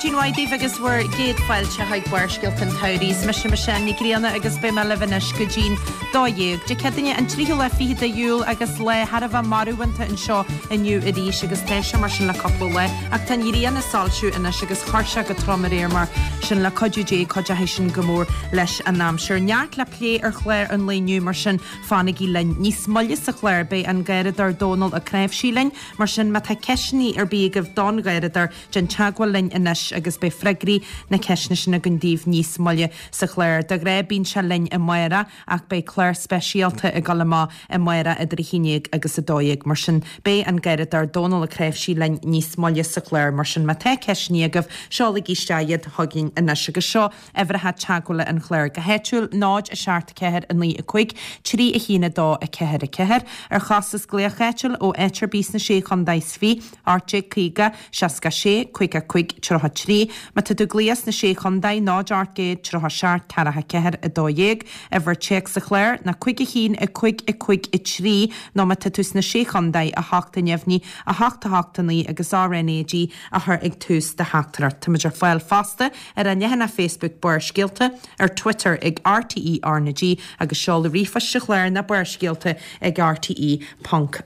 Maidin mhaith daoibh agus bhur gcéad fáilte chuig Barrscéalta an tSamhraidh. Is mise Michelle Ní Ghrianna agus beidh mé libh anois go dtí'n 12. Dé Céadaoine an tríú lá fichead de Iúil agus lá thar a bheith marbhánta anseo inniu arís agus tá sé mar sin le cúpla lá ach tá an ghrian ag soilsiú anois agus chuir sé go trom aréir mar sin le cuidiú Dé cuideoidh sin go mór leis an aimsir. Neart le plé ar chlár an lae inniu mar sin fanaigí linn. Níos moille sa chlár beidh an Garradóir Dónal Ó Cnáimhsí linn Mar sin, má tá ceisteanna ar bith agaibh don Gharradóir, déan teagmháil linn anois agus beidh freagraí na ceisteanna sin againn daoibh níos moille sa chlár. De ghnáth bíonn sé linn amárach ach beidh clár speisialta ag dul amach amárach idir 11 agus 12. Mar sin, beidh an Garradóir Dónal Ó Cnáimhsí linn níos moille sa chlár. Mar sin, má tá ceisteanna agaibh, seolaigí isteach iad chugainn anois. Agus seo Uimhreacha teagmhála an chláir go háitiúil, 0, 7, 4, 9, 5, 3, 1, 2, 4, 4. Ar chostas glaoch áitiúil ó áit ar bith sna Sé Chontae is Fiche, 1850 66 55 33. Má tá tú ag glaoch sna Sé Chontae, 0, 800 37 44 12. Uimhir téacs an chláir ná 5 1 5 5 3 nó má tá tú sna Sé Chontae, 8 neamhní, 8 8 9 agus RnaG a chur ag tús do theachtaireacht. Táimid ar fáil fosta ar an leathanach Facebook Barrscéalta, ar Twitter ag RTÉ RnaG agus seoladh ríomhphoist an chláir ná barrscéalta ag rte ponc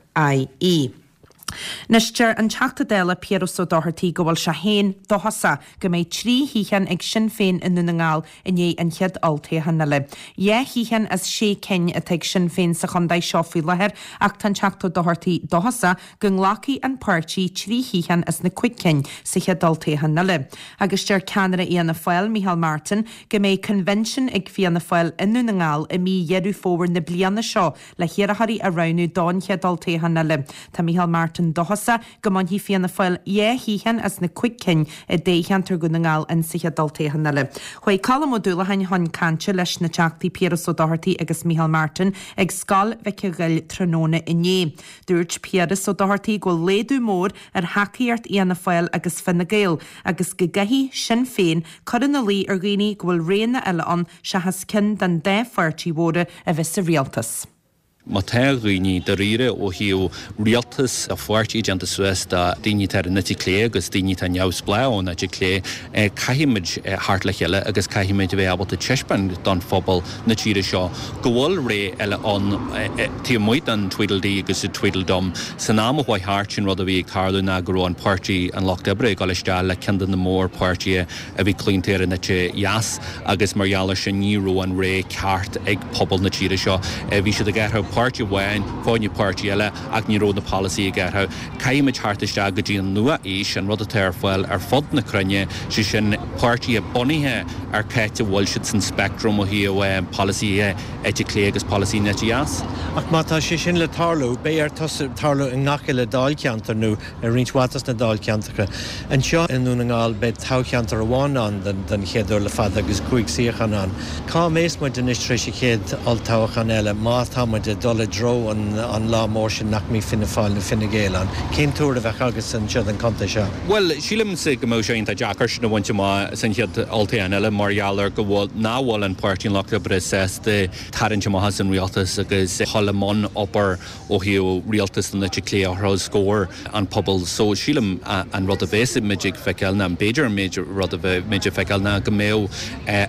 ie. Anois, deir an Teachta Dála Piaras Ó Dochartaigh go bhfuil sé féin dóchasach go mbeidh 3 shuíochán ag Sinn Féin i nDún na nGall i ndiaidh an chéad olltoghchán eile. 2 shuíochán as 6 cinn atá ag Sinn Féin sa chontae seo faoi láthair ach tá an Teachta Ó Dochartaigh dóchasach go nglacfaidh an páirtí 3 shuíochán as na 5 cinn sa chéad olltoghchán eile. Agus deir ceannaire Fhianna Fáil, Micheál Martin, go mbeidh convention ag Fianna Fáil i nDún na nGall i mí Dheireadh Fómhair na bliana seo le hiarrthóirí a roghnú don chéad olltoghchán eile. Tá Micheál Martin dóchasach go mbainfidh Fianna Fáil 2 shuíochán as na 5 cinn i dtoghcheantar Dhún na nGall in sa chéad olltoghchán eile. Chuaigh Colm Ó Dúlacháin chun cainte leis na Teachtaí Piaras Ó Dochartaigh agus Micheál Martin ag Scoil Mhic a' Ghoill tráthnóna inné. Dúirt Piaras Ó Dochartaigh go bhfuil laghdú mór ar thacaíocht Fhianna Fáil agus Fine Gael agus go gcaithfidh Sinn Féin cur ina luí ar dhaoine go bhfuil roghanna eile ann seachas ceann den dá pháirtí mhóra a bheith sa rialtas. Má tá daoine dáiríre ó thaobh rialtas de pháirtí déanta suas de daoine atá ar an eite chlé agus daoine atá neamhspleách ón eite chlé, caithfimid theacht le chéile agus caithfimid a bheith ábalta taispeáint don phobal na tíre seo go bhfuil ré eile ann taobh amuigh den Tweedledee agus an Tweedledum. San am a chuaigh thart, sin rud a bhí ag tarlú ná go raibh an Páirtí an Lucht Oibre ag dul isteach le ceann de na mórpháirtithe a bhí claonta ar an eite dheas agus mar gheall ar sin ní raibh an ré ceart ag pobal na tíre seo. Bhí siad ag athrú páirtí amháin fá choinne páirtí eile ach ní raibh na polasaithe ag athrú. Caithfimid theacht isteach go dtí an nua-aois, an rud atá ar fáil ar fud na cruinne, sé sin páirtithe bunaithe ar cá háit a bhfuil siad san speictream ó thaobh polasaithe eite chlé agus polasaí an eite dheas. Ach má tá sé sin le tarlú, beidh air tarlú i ngach uile dáilcheantar nó i roinnt mhaith dos na dáilcheantracha. Anseo i nDún na nGall beidh toghcheantar amháin ann don chéad uair le fada agus 5 suíochán ann. Cá mbeas muid anois tar éis an chéad olltoghchán eile má tá muid ag dul i dtreo an lá mór sin nach mbeidh Fianna Fáil nó Fine Gael ann? Cén tuar a bheadh agatsa anseo don chontae seo? Bhuel, sílimse go mbeadh sé iontach deacair sin a bhaint amach san chéad olltoghchán eile mar gheall ar go bhfuil, nach bhfuil an Páirtí an Lucht Oibre sásta tarraingt amach as an rialtas agus dhul i mbun obair ó thaobh rialtas den eite chlé a chur os comhair an phobail. So sílim an rud a bheas muid ag feiceáil ná, b'fhéidir an méid rud a bheidh muid ag feiceáil ná go mbeadh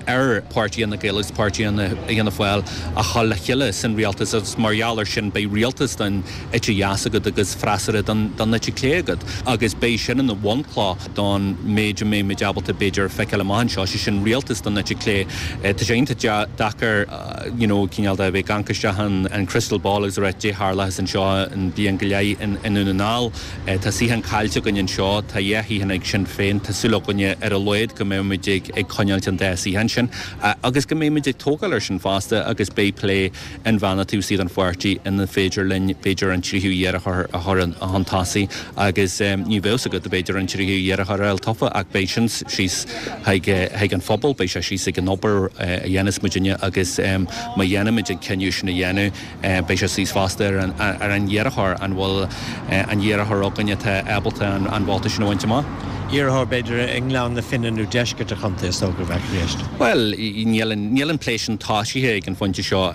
ar Páirtí Fhine Gael agus Páirtí Fhianna Fáil a dhul le chéile san rialtas agus mar gheall ar sin beidh rialtas den eite dheas agat agus freasúra don eite chlé agat agus beidh sin ina bhunchloch don méid a mbeidh muid ábalta b'fhéidir a feiceáil amach anseo, sé sin rialtas don eite chlé. Tá sé iontach deacair you know cineál de a bheith ag amharc isteach an crystal ball agus a rá caidé tharlóchas anseo in bliain go leith i nDún na nGall. Tá suíochán caillte againn anseo, tá dhá shuíochán ag Sinn Féin, tá súil againne ar a laghad go mbeidh muid ag coinneáilt an dá shuíochán sin agus go mbeidh muid ag tógáil ar sin fosta agus beidh plé inmheánach taobh istigh den pháirtí ina féidir linn b'fhéidir an tríú iarrthóir a chur chun tosaigh agus ní bheadh fhios agat b'fhéidir an tríú iarrthóir a fháil tofa ach beidh sin síos chuig an phobal, beidh sé síos ag an obair a dhéanas muidinne agus má dhéanaimid an cinneadh sin a dhéanamh beidh sé síos fosta ar an iarrthóir, an bhfuil an iarrthóir againn atá ábalta an vóta sin a bhaint amach. Iarrthóir b'fhéidir i nGleann na Finne nó deisceart an chontae is dócha a bheadh i gceist. Bhuel, níl an, níl an plé sin tosaithe ag an phointe seo.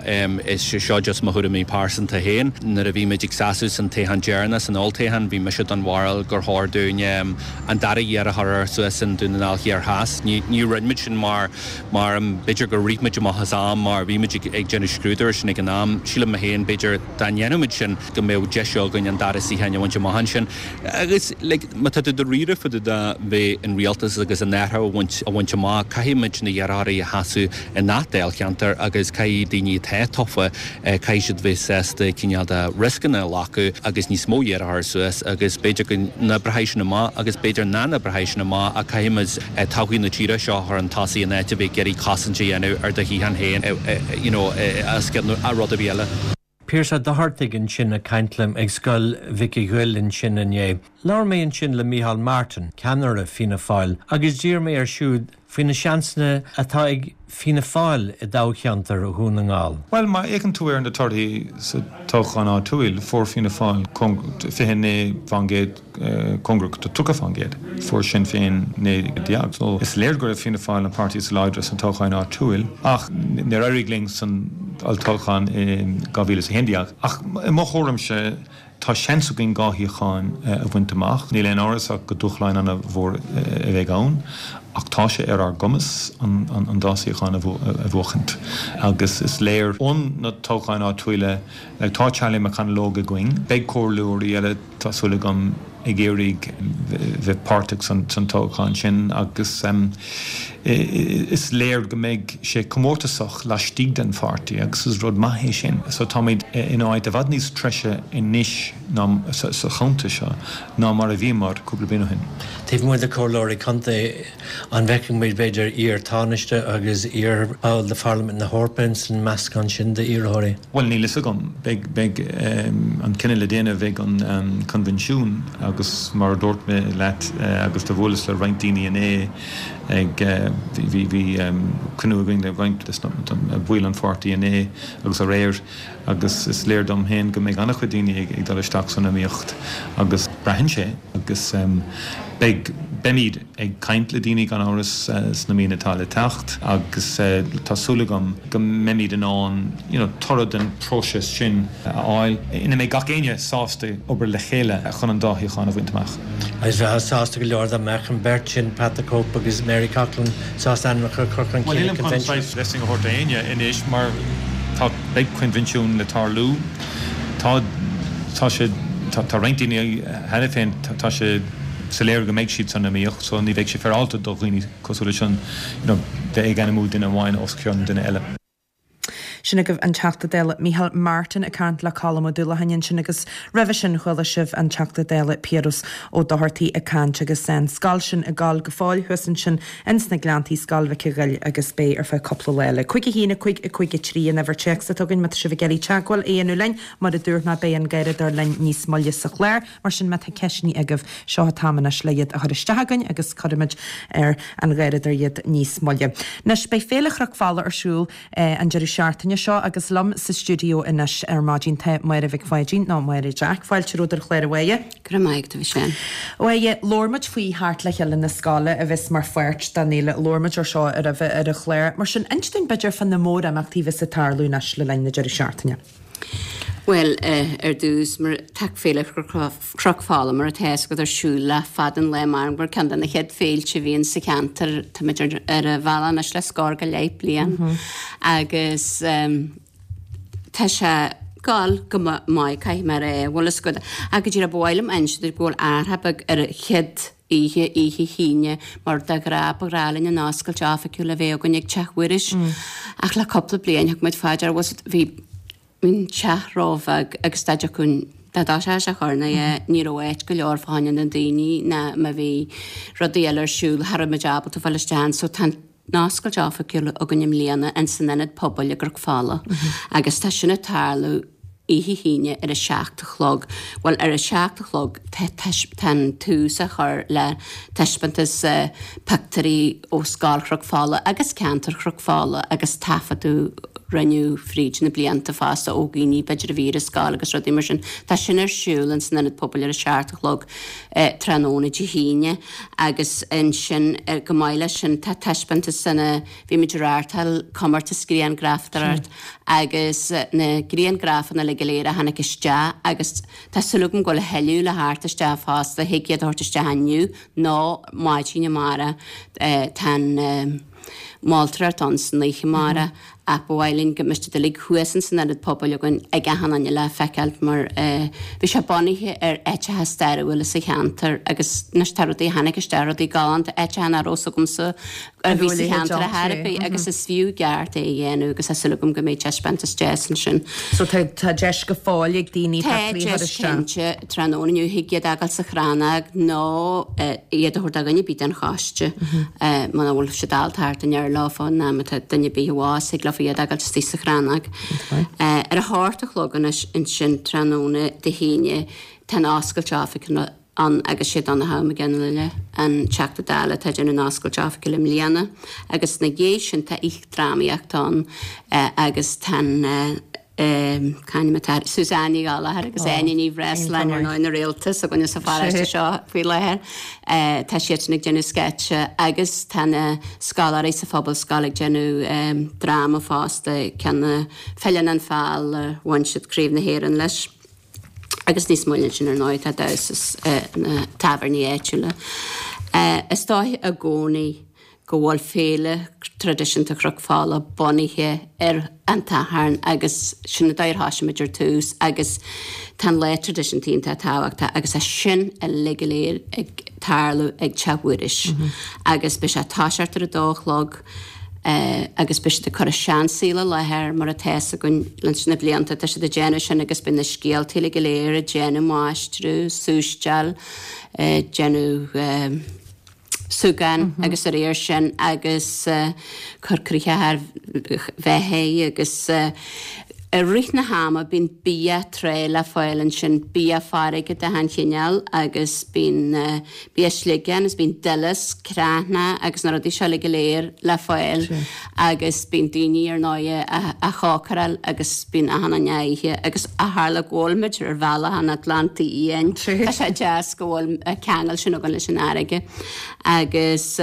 Is seo just mo thuairim. tuairimí pearsanta féin. Nuair a bhí muid ag seasamh san toghchán deireanach, san olltoghchán, bhí mise den bharúil gur chóir dúinn an dara iarrthóir a chur suas in Dún na nGall Thiar Theas. Ní rinne muid sin mar, mar b'fhéidir gur rith muid amach as am mar bhí muid ag déanamh scrúdú air sin ag an am. Sílim mé féin, b'fhéidir, dá ndéanfadh muid sin go mbeadh deis againn an dara suíochán a bhaint amach ansin. Agus, like, má tá tú dáiríre fá dtaobh de bheith in rialtas agus an athrú a bhaint, a bhaint amach, caithfidh muid na hiarrthóirí a sheasamh i ngach dáilcheantar agus caithfidh daoine atá tofa, caithfidh siad bheith sásta cineál de rioscanna a ghlacadh agus níos mó iarrthóirí suas agus b'fhéidir go n-oibreoidh sin amach agus b'fhéidir nach n-oibreoidh sin amach ach caithfidh muid todhchaí na tíre seo a chur chun tosaigh in áit a bheith ag iarraidh cosaint a dhéanamh ar do shuíochán féin you know as rud ar bith eile. Pearse Ó Dochartaigh ansin ag caint liom ag Scoil Mhic a' Ghoill ansin inné. Labhair mé ansin le Micheál Martin, ceannaire Fianna Fáil, agus d'iarr mé air siúd faoi na seansanna atá ag Fianna Fáil i dtoghcheantar Dhún na nGall. Bhuel, má fhéachann tú ar na torthaí sa toghchán áitiúil, fuair Fianna Fáil 29%. cóngarach do 30%. Fuair Sinn Féin 19. So is léir go raibh Fianna Fáil an páirtí is láidre sna toghcháin áitiúil ach níor éirigh linn san olltoghchán i 2011. Ach i mo thuairimse tá seans againn 2 shuíochán a bhaint amach. Níl aon amhras ach go dúshláin an-mhór a bheidh ann ach tá sé ar ár gcumas an dá suíochán a bhuachaint agus is léir ón na toghcháin áitiúila tá Charlie McConalogue againn, beidh comhairleoirí eile, Tá súil agam ag iarraidh bheith páirteach san toghchán sin agus is léir go mbeidh sé comórtasach laistigh den pháirtí agus is rud maith é sin. So táimid in áit i bhfad níos treise anois ná sa chontae seo ná mar a bhíomar cúpla bliain ó shin. Taobh amuigh de chomhairleoirí contae, An bhfeicfidh muid, b'fhéidir, iar-Tánaiste agus iar-bhall de Pharlaimint na hEorpa ins an meascán sin d'iarrthóirí? Bhuel, níl fhios agam. Beidh, beidh an cinneadh le déanamh ag an coinbhinsiún agus mar a dúirt mé leat agus do bhuaileas le roinnt daoine inné ag, bhí, bhí cruinniú againn le roinnt de bhaill an pháirtí inné agus aréir agus is léir dom féin go mbeidh an-chuid daoine ag dul isteach san iomaíocht agus braitheann sé agus beidh, beimid ag caint le daoine gan amhras sna míonna atá le teacht agus tá súil agam go mbeimid in ann you know toradh den phróiseas sin a fháil ina mbeidh gach éinne sásta obair le chéile chun an dá shuíochán a bhaint amach. Agus bheifeá sásta go leor dá mbeadh an bheirt sin, Pat the Cope agus Mary Coughlan, sásta ainmneacha a chur chun cinn ag Bhuel, nílim chun saghas blessing a thabhairt d'éinne anois mar tá, beidh coinbhinsiún le tarlú. Tá, tá sé, tá, tá roinnt daoine cheana féin, tá sé soiléir go mbeidh siad san iomaíocht so ní bheidh sé féaráilte do dhaoine cosúil leis sin you know bheith ag ainmiú duine amháin os cionn duine eile. Sin agaibh an Teachta Dála Micheál Martin ag caint le Colm Ó Dúlacháin ansin agus roimhe sin chuala sibh an Teachta Dála Piaras Ó Dochartaigh ag caint agus an scoil sin ag gabháil go fóill thuas ansin ins na Gleanntaí, Scoil Mhic a' Ghoill agus beidh ar feadh cúpla lá eile. 5 1 5 5 3 an uimhir téacs atá againn má tá sibh ag iarraidh teagmháil a dhéanamh linn. Mar a dúirt mé beidh an Garradóir linn níos moille sa chlár. Mar sin, má tá ceisteanna agaibh, seo an t-am anois le iad a chur isteach chugainn agus cuirfimid ar an Gharradóir iad níos moille. Anois, beidh Féile Chnoc Fola ar siúl an deireadh seachtaine seo agus liom sa stiúideo anois ar maidin tá Máire Mhic Pháidín, nó Máire Jack. Fáilte romhat ar an chlár, a Mháire. Go raibh maith agat, a Mhichelle. A Mháire, labhair muid faoi theacht le chéile na scoile a bheas mar pháirt den fhéile. Labhair muid ar seo roimhe ar an chlár. Mar sin, inis dúinn b'fhéidir fá na mórimeachtaí a bheas ag tarlú anois le linn na deireadh seachtaine. Bhuel, ar dtús, mar tá Féile Chnoc Fola, mar atá fhios agat, ar siúl le fada an lá mar gur ceann de na chéad féilte a bhíonn sa cheantar. Táimid ar an bhealach anois le scór go leith bliain agus tá sé ag gabháil go maith, caithfidh mé a rá. Bhfuil fhios agat, ach go díreach ba mhaith liom a inse duit go bhfuil athrach beag ar an chéad oíche, oíche hAoine, mar de ghnáth ba ghnách linn an oscailt oifigiúil a bheith againn ag Teach Mhuiris. Ach le cúpla bliain thug muid fá dear bhfuil bhí an teach róbheag agus dá dtiocfadh an dá dtoiseodh sé a chur na ní raibh áit go leor fá choinne na daoine ná má bhí rudaí eile ar siúl cha raibh muid ábalta fáil isteach ann so tá an oscailt oifigiúil againn i mbliana ins an Ionad Pobail i gCnoc Fola agus tá sin ag tarlú oíche hAoine ar a 7 a chlog. Bhuel, ar a 7 a chlog tá an tús á chur le taispeántas pictiúirí ó Scoil Chnoc Fola agus ceantar Chnoc Fola agus taifeadadh. rinneadh fríd na blianta fosta ó dhaoine b'fhéidir a bhí ar an scoil agus rudaí mar sin. Tá sin ar siúl ins an Ionad Pobail ar a seacht a chlog tráthnóna Dé hAoine agus ansin chomh maith leis sin tá taispeántas ina bhí muid ag reáchtáil comórtas grianghrafadóireacht agus na grianghrafanna uilig go léir a tháinig isteach agus tá súil agam go bhfuil a thuilleadh le theacht isteach fosta, thig iad a thabhairt isteach inniu nó maidin amárach. Tá an mholtóireacht ann san oíche amárach ach ba mhaith linn go mbeadh siad uilig thuas ins an Ionad Pobail againn ag achan duine le feiceáilt mar bhí sé bunaithe ar áiteacha stairiúla sa cheantar agus anois tá rudaí a tháinig isteach, rudaí galánta, áiteacha nach raibh 's agamsa a bhí sa cheantar ar chor ar bith agus is fiú i gceart é a dhéanamh agus tá súil agam go mbeidh taispeántas deas ansin. So tá tá deis go fóill ag daoine Tá pictiúirí a chur deis isteach. cinnte tráthnóna inniu thig iad a fhágáil sa chrannóg nó iad a thabhairt do dhuine ar bith den choiste muna bhfuil siad ábalta theacht aniar leofa nó má tá duine ar bith abhus thig leofa iad a fhágáil istigh sa chrannóg. Ar a hocht a chlog anois ansin tráthnóna Dé hAoine tá an oscailt oifige ann agus sé Donnchadh Mac Fhionnghaile an Teachta Dála atá ag déanamh an oscailt oifigiúil i mbliana agus ina dhiaidh sin tá oíche drámaíochta ann agus tá an c'ainm atá uirthi? Suzanne Ní Ghallchóir agus Áine Ní Bhreisleáin ar ndóigh na réalta s'againne sa pharóiste seo faoi láthair. Tá siadsan ag déanamh sceitse agus tá na scoláirí sa Phobalscoil ag déanamh dráma fosta, ceann Filleann an Feall a bhain siad Craobh na hÉireann leis. Agus níos moille ansin ar ndóigh tá damhsa sna tábhairní áitiúla. Is dóigh i gcónaí go bhfuil féile traidisiúnta Chnoc Fola bunaithe ar an tSatharn agus sin an dóigh ar thosaigh muid ar tús agus tá an lá traidisiúnta iontach tábhachtach agus tá sin uilig go léir ag tarlú ag Teach Mhuiris agus beidh sé ag toiseacht ar a dó a chlog. agus beidh siad ag cur an seansaol i láthair mar atá 'fhios againn leis na blianta, tá siad ag déanamh sin agus beidh na scéaltaí uilig go léir ag déanamh máistreadh, súisteáil, ag déanamh súgán agus de réir sin agus cur croitheadh ar bheithígh agus i rith na hama bíonn bia trá le fáil ansin, bia farraige de achan chineál agus bíonn Bia sliogán is bíonn duileasc, creathnach agus na rudaí seo uilig go léir le fáil agus bíonn daoine ar ndóighe á chócaráil agus bíonn achan duine á ithe agus ó tharla go bhfuil muid ar bhealach an Atlantaigh Fhiáin tá sé deas go bhfuil an ceangal sin againn leis an fharraige agus.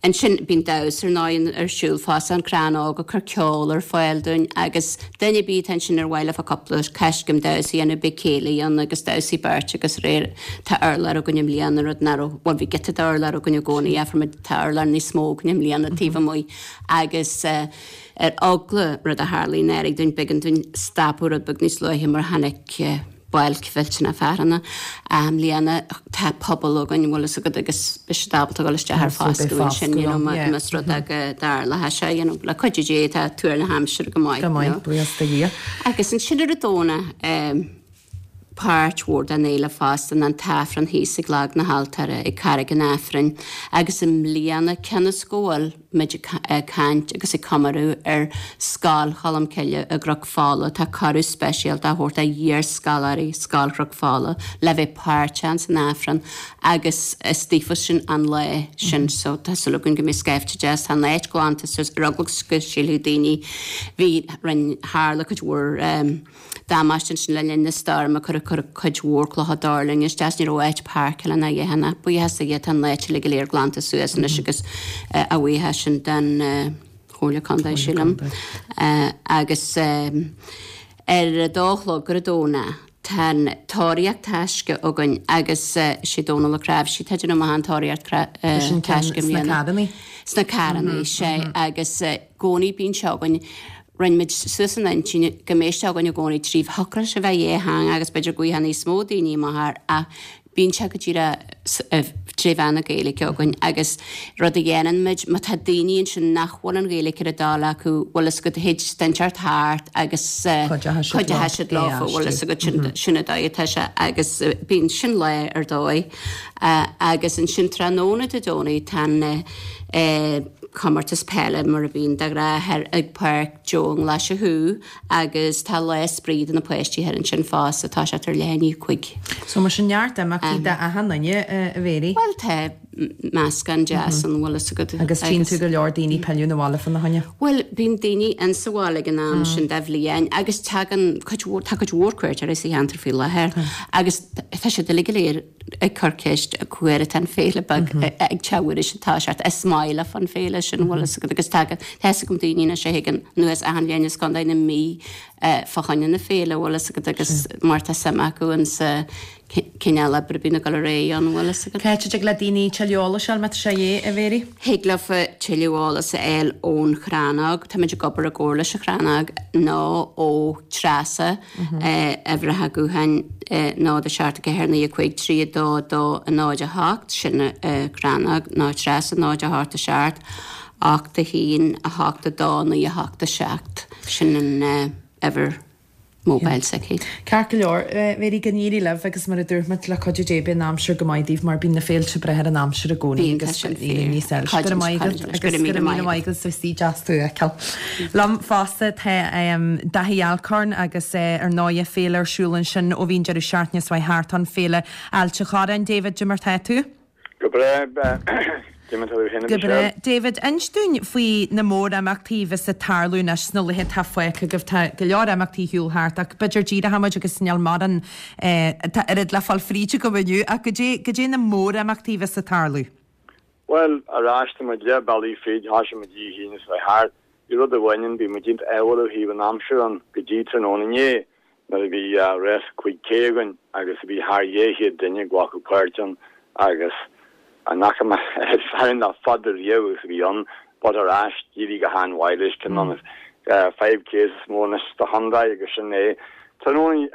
Ansin bíonn damhsa ar ndóigh ar siúl fosta, an Crann Óg ag cur ceol ar fáil dúinn agus duine ar bith atá ansin ar mhaith leofa cúpla coiscéim damhsa a dhéanamh beidh céilí ann agus damhsaí beirte agus aréir tá urlár againn i mbliana rud nach raibh, bhuel bhí giota d'urlár againn i gcónaí ach fuair muid, tá urlár níos mó againn i mbliana taobh amuigh agus ar eagla rud a tharlaigh anuraidh dúinn b'éigean dúinn stopadh rud beag níos luaithe mar tháinig bailc mhillteanach fearthainne. I mbliana tá puball againn, bhfuil fhios agat, agus beidh siad ábalta dul isteach ar foscadh ansin, you know, más rud é go dtarlódh sé, you know, le cuidiú Dé tá tuar na haimsire go maith, Go maith, buíochas do Dhia. Agus ansin ar an Domhnach, páirt mhór den fhéile fosta ná an tAifreann thíos ag Lag na hAltóra ag Carraig an Aifrinn agus i mbliana cionn is go bhfuil muid ag caint agus ag comóradh ar Scoil Cholmcille i gCnoc Fola. Tá cuireadh speisialta á thabhairt d'iarscoláirí Scoil Chnoc Fola le bheith páirteach ins an Aifreann agus is daofa sin an lá sin so tá súil againn go mbeidh scaifte deas. Tá an áit glanta suas ar eagla go sílfeadh daoine bhí rinn tharla cuid mhór damáiste ansin le linn na stoirme, cuireadh cuireadh cuid mhór clocha duirlinge isteach is ní raibh áit páirceála ná a dhath ann. Buíochas do Dhia tá an áit uilig go léir glanta suas anois agus a bhuíochas sin don Chomhairle Contae, sílim. Agus ar a dó a chlog ar an Domhnach tá an tóraíocht taisce againn agus sé Dónal Ó Cnáimhsí atá ag déanamh amach an tóraíocht taisce i mbliana. Sna carrannaí. Sna carrannaí, sea. Agus i gcónaí bíonn sé againn. Rinne muid suas an intinn go mbeidh sé againn i gcónaí trí shocraigh sé a bheith dhátheangach agus b'fhéidir go bhfaighfeá níos mó daoine amach air ach bíonn sé go díreach tré mheán na Gaeilge againn agus rud a dhéanann muid má tá daoine ansin nach bhfuil an Ghaeilge ar a dtoil acu bhfuil fhios agat thig duine inteacht thart agus cuideoidh siad leo bhfuil fhios agat sin sin an dóigh atá sé agus bíonn sin lá ar dóigh agus ansin tráthnóna Dé Domhnaigh tá an comórtas peile mar a bhíonn de ghnáth thoir ag Páirc Joe i nGlaise Chú agus tá lá spraoi do na páistí thoir ansin fosta, tá sé tar leath i ndiaidh a 5. So mar sin neart imeachtaí d'achan duine, a Mhéirí? Bhuel tá. meascán deas ann, bhfuil fhios agat. Agus tchíonn tú go leor daoine pilleadh na bhaile fána choinne. Bhuel, bíonn daoine insa bhaile ag an am sin de bhliain agus tagann cuid mhór, tá cuid mhór cuairteoirí sa cheantar faoi láthair agus tá siad uilig go léir ag cur ceist cá huair atá an féile beag ag teacht arís atá sé is maith leofa an féile sin bhfuil fhios agat agus tagann, tá fhios agam daoine anois a thagann anuas achan bhliain as Contae na Mí fá choinne na féile bhfuil fhios agat agus mar tá suim acu insa cineál oibre a bhíonn ag dul ar aghaidh ann, bhfuil fhios agat. Cá háit a dtig le daoine tuilleadh eolais a fháil má tá sé de dhíth, a Mhéirí? Thig leofa tuilleadh eolas a fháil ón Chrannóg, táimid ag obair i gcomhar leis an Chrannóg, nó ó Treasa, uimhreacha gutháin 0 7 4 9 5 3 2 2 0 8, sin an Chrannóg, nó Treasa 0 8 7 8 1 8 2 9 8 7, sin an uimhir. mobile s'aici. Ceart go leor, Mhéirí, go n-éirí libh agus mar a dúirt muid, le cuidiú Dé beidh an aimsir go maith daoibh mar bíonn na féilte ag brath ar an aimsir i gcónaí agus níl níos eile. Go raibh maith agat agus go raibh míle maith agat is deas tú a fheiceáil. Liom fosta tá Daithí Alcorn agus ar ndóighe féile ar siúl ansin ó bhí an deireadh seachtaine seo thart ann, Féile Ailt an Chorráin. David, cad é mar tá tú? Go breá, cad é mar tá tú féin a Go breá. David, inis dúinn faoi na mórimeachtaí a bheas ag tarlú anois sna laetha atá fágtha agaibh. Tá go leor imeachtaí ar siúl thart ach b'fhéidir díreoidh muid agus níl mórán tá oiread le fáil fríd agam inniu ach goidé, goidé na mórimeachtaí a bheas ag tarlú? Bhuel, ar ais, tá muid leath bealaigh fríd, thoisigh muid Dé hAoine seo thart. Bhí rud amháin ann, bhí muid iontach ádhúil ó thaobh an aimsir ann go dtí tráthnóna inné. nuair a bhí rás 5K againn agus bhí thar 200 duine ag glacadh páirt ann agus an fhaca mé oiread fear ann le fada riamh agus a bhí ann but ar ais d'éirigh go han-mhaith leis ceann de na 5Ks is mó anois sa chontae agus sin é. Tráthnóna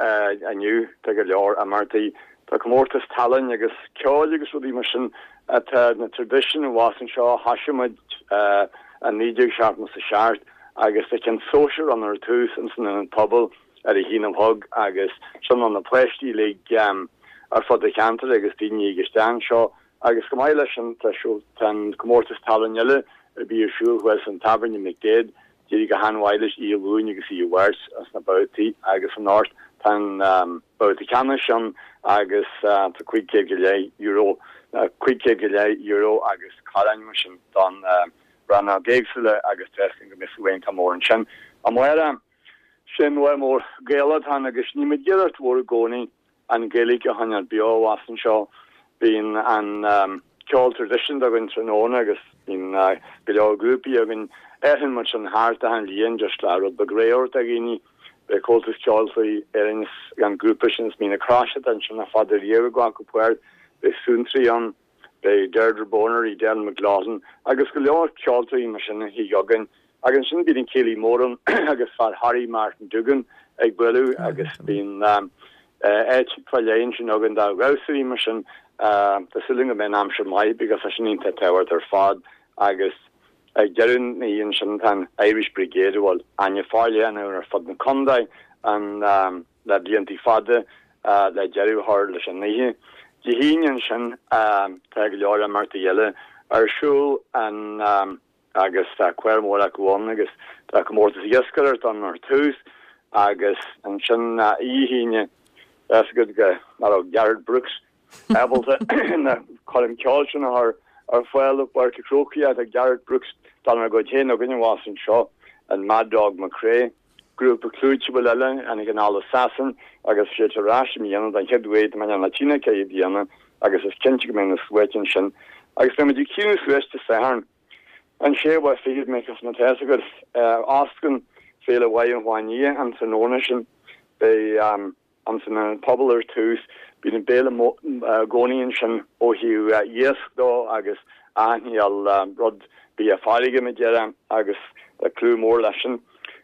inniu tá go leor imeachtaí, tá comórtas tallainne agus ceoil agus rudaí mar sin atá na traidisiúin abhus anseo a thoisigh muid i 1977 agus tá ceann sóisear ann ar tús ins an Ionad Pobail ar a haon a chlog agus sin do na páistí uilig ar fud an cheantair agus daoine ag isteach anseo agus chomh maith leis sin tá tá an comórtas tallainne eile a bhí ar siúl thuas an Tábhairne McDaid d'éirigh go han-mhaith leis oíche Luain agus oíche Mháirt as na babhtaí agus anocht tá an babhta ceannais ann agus tá €500 go leith €500 go leith euro agus corn mar sin don rannóg éagsúla agus tá a fhios againn go mbeidh suaitheantas mór ansin. Amárach, sin lá mór Gaelach atá ann agus níl muid ag iarracht mhór i gcónaí an Ghaeilge a choinneáil beo abhus anseo. Bíonn an ceol traidisiúnta againn tráthnóna agus bíonn go leor grúpaí againn. Athraíonn muid sin thart achan bhliain just le rud beag réidh a thabhairt do dhaoine. Beidh Comhaltas Ceoltóirí Éireann is an grúpa sin as Mín na Croise atá ansin le fada riamh ag glacadh páirt. Beidh Suantraí ann. Beidh Deirdre Bonner, Edel McLaughlin agus go leor ceoltóirí mar sin a thig againn. Agus ansin bíonn an céilí mór ann agus fear Thoraí Martin Duggan ag bualadh agus bíonn áit fá leith ansin againn do dhamhsóirí mar sin. Tá súil agam go mbeidh an aimsir maith because tá sin iontach tábhachtach ar fad agus ag deireadh na hoíche ansin tá an Irish Brigade a bhfuil aithne forleathan ann ar fud na contae an le blianta fada le deireadh a chur leis an oíche. Dé hAoine ansin tá go leor imeachtaí eile ar siúl an agus tá clár mór acu ann agus tá comórtas iascaireachta ann ar tús agus ansin oíche hAoine tá fhios agat go nach raibh Garth Brooks ábalta na coirm ceoil sin a chur ar fáil i bPáirc an Chrócaigh tá Garth Brooks dár gcuid féin againn abhus anseo an Mad Dog McCrea. Grúpa clúiteach eile tháinig anall as Sasain agus siad ar ais i mbliana don chéad uair do mbeidh na tine ceithre bliana agus is cinnte go mbeidh na sluaite ansin agus beidh muid ag críochnú suas Dé Sathairn an séú lá fichead because má tá fhios agat osclaíonn Féile Mhaigh an Fháinne an tráthnóna sin beidh Ins an Ionad Pobail ar tús. Bíonn an béile i gcónaí ansin ó thaobh iasc dó agus achan chineál rud bia farraige mar a déarfá agus tá clú mór leis sin.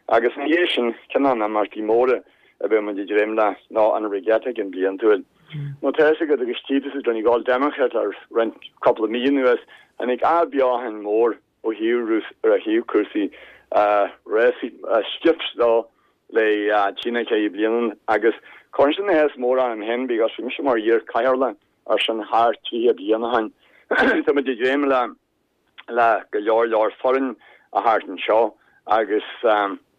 Agus ina dhiaidh sin, ceann de na himeachtaí móra a bheidh muid ag dréim le ná an Regatta ceann bliantúil. Nó tá fhios agat agus tchí tusa Donegal Democrat le roinnt cúpla mí anuas, tháinig athbheochan mór ó thaobh ó thaobh cúrsaí rásaí skiffs dó le trí nó ceithre bliana agus cuireann sin áthas mór orm féin because bhí mise mar iar-chathaoirleach ar sin thart 30 bliain ó shin. Tá muid ag dréim le le go leor leor foireann a theacht anseo agus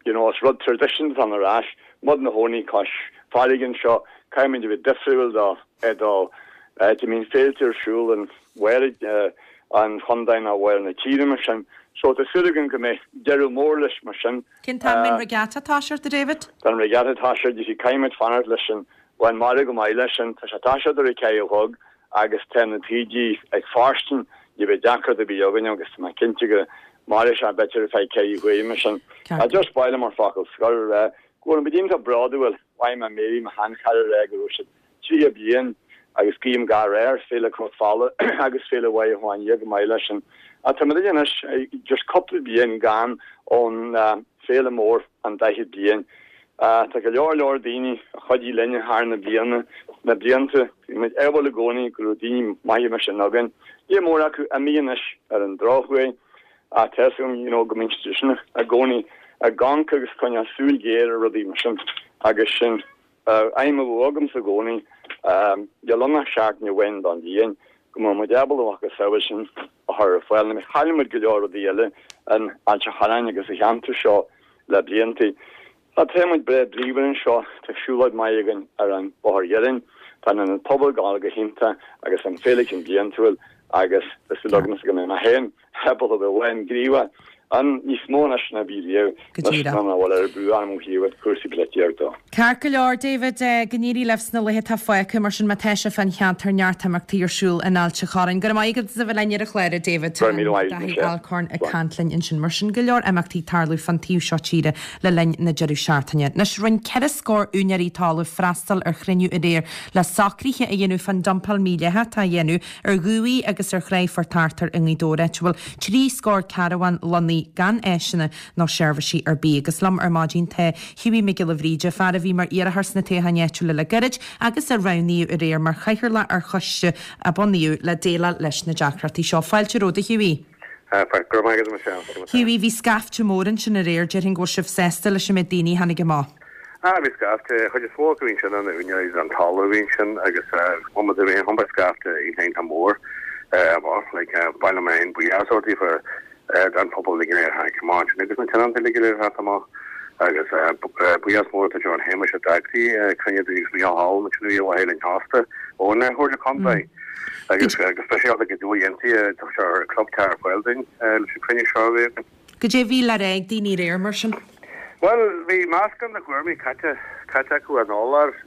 you know is rud traidisiúnta atá ann ar ais, muid ina chónaí cois farraige anseo, caithfidh muid a bheith difriúil do do. áit a mbíonn féilte ar siúl in bharr an chontae nó bharr na tíre mar sin. So tá súil againn go mbeidh deireadh mór leis mar sin. Cén t-am a mbeidh an regatta ag toiseacht, a David? Tá an regatta ag toiseacht, you see caithfidh muid fanacht leis an bhuel mara go maith leis sin, tá sé ag toiseacht ar a ceathair a chlog agus tá na taoidí ag fóirstean, ní bheidh deacracht ar bith againn agus tá mé cinnte go mairfidh sé b'fhéidir ar feadh ceithre huaire mar sin. Ceart. Just ba mhaith liom mar focal scoir a rá go bhfuil muid iontach bródúil, mhaith mé Mary mo sheanchara a rá go raibh siad 30 bliain agus guím gach rath ar Féile Cnoc Fola agus Féile Mhaighe Chuan go maith leis sin. Tá muid anois just cúpla bliain gann ón féile mór an 40 bliain. Tá go leor leor daoine a chuidigh linn thar na bliana, na blianta. Bhí muid ádhúil i gcónaí go raibh daoine maithe mar sin againn. Lear mór acu imithe anois ar an drochuair ach tá fhios agam you know go mbíonn siad sin i gcónaí ag amharc agus coinneáil súil ghéar ar rudaí mar sin agus sin aidhm a bheadh agamsa i gcónaí, níl ann ach seachtain amháin don bhliain, go mbeadh muid ábalta a mhacasamhail sin a chur ar fáil. Nó chaill muid go leor rudaí eile in Ailt an Chorráin agus sa cheantar seo le blianta. Tá tá muid breá bríomhar anseo, tá siúlóid maith againn ar an Bhóthar Iarainn, tá an Ionad Pobail ag gabháil go hiontach agus an Féile Cinn Bliantúil agus tá súil agamsa go mbeidh mé féin ábalta a bheith gníomhach ann níos mó anois ná bhí riamh, Go anois díreach. ná bhfuil ar brú orm ó thaobh cúrsaí polaitíochta. Ceart go leor, David, go n-éirí libh sna laethe atá fágtha, mar sin má tá sibh fán cheantar, neart imeachtaí ar siúl in Ailt an Chorráin. Go raibh maith agat as a bheith linn ar an chlár, a David. Go raibh míle maith agat, Daithí Michelle. Alcorn ag caint linn ansin. Mar sin, go leor imeachtaí ag tarlú fán taobh seo tíre le linn na deireadh seachtaine. Anois, rinne 4 scór úinéirí talaimh freastal ar chruinniú aréir le socruithe a dhéanamh fán dumpáil mhídhleathach atá á dhéanamh ar dhumhaigh agus ar chraigh Phort Arthur i nGaoth Dobhair, áit a bhfuil 3 scór carbhán lonnaithe gan áiseanna nó seirbhísí ar bith. Agus liom ar maidin tá Hughie Mac Giolla Bhríde, fear a bhí mar iarrthóir sna toghcháin áitiúla le gairid agus a roghnaíodh aréir mar chathaoirleach ar choiste a bunaíodh le déileáil leis na deacrachtaí seo. Fáilte romhat, a Hughie. Go raibh maith agat, a Michelle. Hughie, bhí scaifte mór ansin aréir, déarfainn go bhfuil sibh sásta leis an méid daoine a tháinig amach. Ah, bhí scaifte, chuid is mó acu bhí ansin ina úinéirí den talamh a bhí ansin agus bhain muid a bhí scaifte iontach mór amach, like, ba mhaith liom féin buíochas a thabhairt daofa don phobal uilig go léir a tháinig amach ansin agus na tionóntaí uilig go léir a theacht amach agus buíochas mór do John Shéamuis a d'eagraigh cruinniú dúinn agus Micheál Holland ansin a bhí ar mhaithe linn fosta ón Chomhairle Contae agus go speisialta go deo dhéantaí a thug sé club tear ar fáil dúinn leis an cruinniú seo a bhí againn. Goidé a bhí le rá ag daoine aréir mar sin? Bhuel, bhí meascán de thuairimí caite, caite acu ar ndóigh.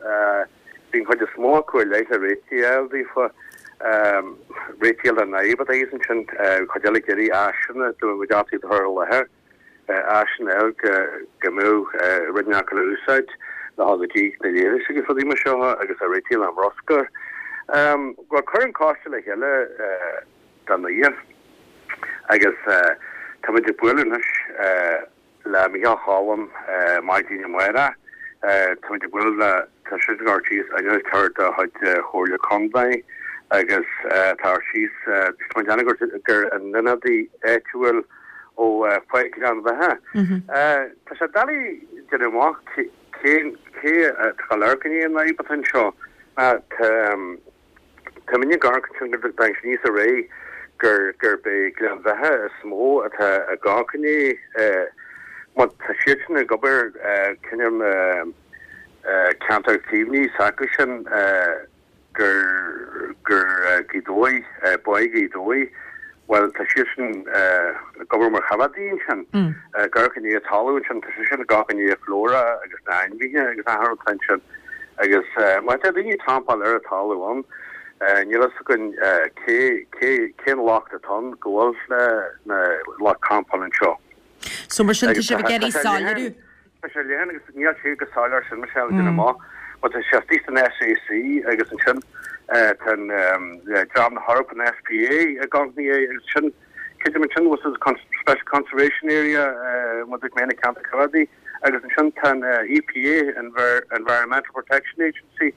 Bhí an chuid is mó acu i leith le réitigh a fháil daofa, réitigh a fháil don fhadhb atá thíos ansin. Bhí cuid eile ag iarraidh áiseanna dá mbeadh deartha a chur i láthair, áiseanna eile go, go mbeadh rud inteacht le úsáid le dhul go dtí na leithris agus rudaí mar seo agus a réitigh le bruscar. Bhuel, cuireadh an coiste le chéile, don oíche agus táimid ag bualadh anois le Micheál Choilm maidin amárach. Táimid ag bualadh le, tá sé ag cur síos innealtóir de chuid Chomhairle Contae agus tá cur síos, tá muid ag déanamh gur an ionadaí áitiúil ó Pháirc Ghleann Bheatha. Tá sé doiligh déanamh amach cén, cé atá ag amharc i ndiaidh an fhadhb atá anseo. Tá. Tá muid ag amharc ansin go dtagann sé aníos ar aghaidh gur gurb é Gleann Bheatha is mó atá ag amharc i ndiaidh mar tá siadsan ag obair cineál ceantar caomhnaithe s'acu sin gur gur Gaoth Dobhair, Báigh Ghaoth Dobhair, bhuel tá siadsan ag obair mar choimeádaí ansin, ag amharc i ndiaidh talamh ansin, tá siadsan ag amharc i ndiaidh flora agus na hainmhithe agus achan rud atá ansin. Agus má tá daoine ag campáil ar an talamh ann, níl fhios againn cé, cé, cén locht atá ann go bhfuil na lucht campáil anseo. So mar sin tá sibh ag iarraidh soiléiriú? Tá sé leathan agus níl sé go soiléir sin, Michelle, déanamh amach. But tá sé istigh san SAC agus ansin tá an dream na hEorpa, an SPA ag amharc ina dhiaidh agus sin, creidim ansin go bhfuil Special Conservation Area, muid ag mé na ceantar coimeádaí. Agus ansin tá an EPA, Environmental Protection Agency,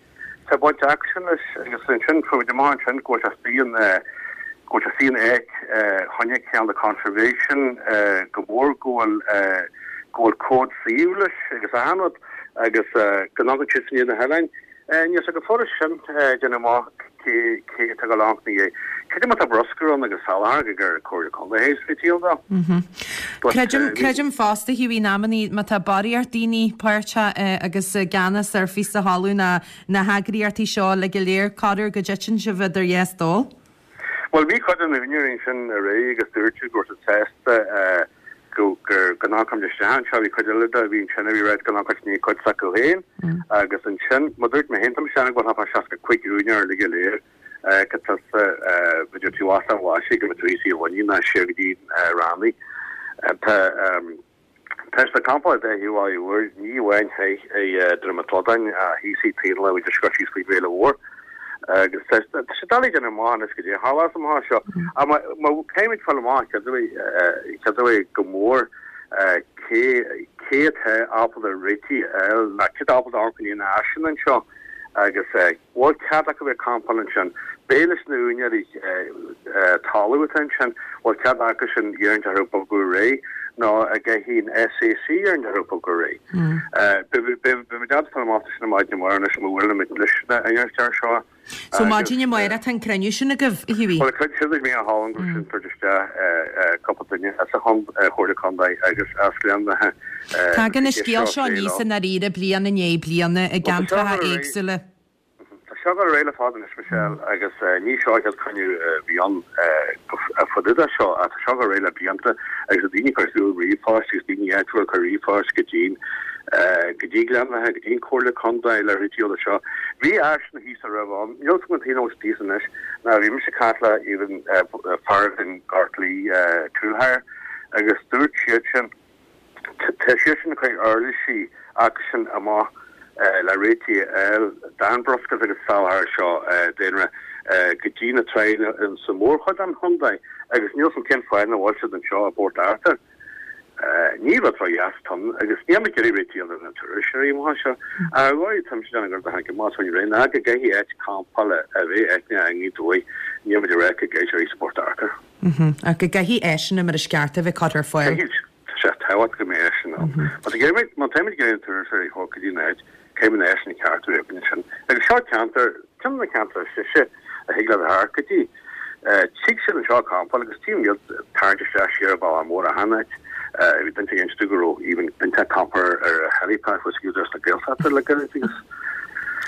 tá baint acusan leis agus ansin fuair muid amach ansin go bhfuil sé istigh in, go bhfuil sé istigh in áit choinne cineál de conservation go mór go bhfuil, go bhfuil cód suíomh leis agus achan rud agus go n-amharcann siadsan i ndiaidh na hoileáin. Níl sé go furast sin déanamh amach cé, cé atá ag dul amharc ina dhiaidh. Creidim má tá bruscar ann agus soláthar go gur Comhairle Contae a théas réitigh dó. Creidim, creidim fosta, Hughie, in amannaí má tá barraíocht daoine páirteach agus i gceannas ar phíosa talún ná na heagraíochtaí seo uilig go léir, corruair go dtiteann sibh idir dhá stól. Bhuel, bhí cuid de na húinéirí ansin aréir agus dúirt siad go raibh siad sásta go gur go n-amharcfaidh muid isteach anseo. Bhí cuid eile de a bhí ansin a bhí ag ráit go n-amharcfaidh ní cuid s'acu féin agus ansin, mar dúirt mé féin, tá mise ag déanamh go bhfuil thart fá 65 úinéir uilig go léir go tusa b'fhéidir taobh thuas den Ghlaisigh go mbeidh tú thíos i Luimnigh ná siar go dtí Raithní. Tá Tá siad ag campáil ar dá thaobh Bhaile Mhóir, ní amháin thoir i Droim an tSladáin ach thíos i Taobh na bhFideis go síos faoi Bhéile Mhór. Agus tá sé doiligh déanamh amach anois goidé a tharlós amach anseo. Ach má caithfimid fáil amach cad é go mór cé cé atá ábalta réitigh a fháil nó cé atá ábalta amharc i ndiaidh na áiseanna anseo agus bhfuil cead acu bheith ag campáil ansin. B'é leis na úinéirí talamh atá ansin, bhfuil cead acu sin iarraidh orthu bogadh ar aghaidh nó an gcaithfidh an SAC iarraidh orthu bogadh ar aghaidh. Beidh muid ábalta fáil amach sin maidin amárach anois má bhuaileann muid leis na úinéirí seo. So maidin amárach tá an cruinniú sin agaibh, a Hughie? Bhuel, cuid siúd ag mé a thálann go sin tabhairt isteach cúpla duine as an Chomhairle Contae agus as Gleann Bheatha. Tagann an scéal seo aníos i ndáiríre bliain i ndiaidh bliana i gceantracha éagsúla. Tá seo ag dul ar aghaidh le fada anois, Michelle, agus ní seo an chéad chruinniú a bhí ann fá dtaobh de seo ach tá seo ag dul ar aghaidh le blianta agus tá daoine ag cur suas ríomhphoist agus daoine áitiúla ag cur ríomhphoist go dtí go dtí Gleann Bheatha, go dtí an Chomhairle Contae le réiteach de seo. Bhí áiseanna thíos a raibh ann, níl 'fhios agam cén chaoi a bhfuil siad thíos anois, ná bhí mise ag caint le even fear in Gort Laoi Tool Hire agus dúirt siad sin, Tá siadsan ag cur uirlisí acusan amach le réitigh a fháil don bhruscar agus salachar seo daonra go dtí na tránna sa mhórchuid den chontae agus níl 'fhios a'm cén fáth nach bhfuil siad anseo i bPort Arthur. Ní rud ró-dheas atá ann agus níl muid ag iarraidh réitigh a fháil do na turasóirí amach anseo. Ach ar dhóigh tá mise ag déanamh gur tháinig amach faoin ré ná go gcaithfidh áit campála a bheith aithne i nGaoth Dobhair, níl muid ag rá go gcaithfidh sé a bheith sa bPort Arthur. Ach go gcaithfidh áiseanna mar is ceart a bheith curtha ar fáil. Caithfidh. Tá sé tábhachtach go mbeidh áiseanna ann. Má tá iarraidh, má táimid ag iarraidh na turasóirí a thabhairt go dtí an áit, caithfidh na háiseanna cearta a bheith againn ansin. Agus seo ceantar, ceann de na ceantair is deise a thig leat a theacht go dtí. Tig siad anseo ag campáil agus tchím iad ag tarraingt isteach siar an bealach mór achan áit. Bhí duine ag inse go raibh even duine ag campáil ar a helipad thuas ag Údarás na Gaeltachta le gairid agus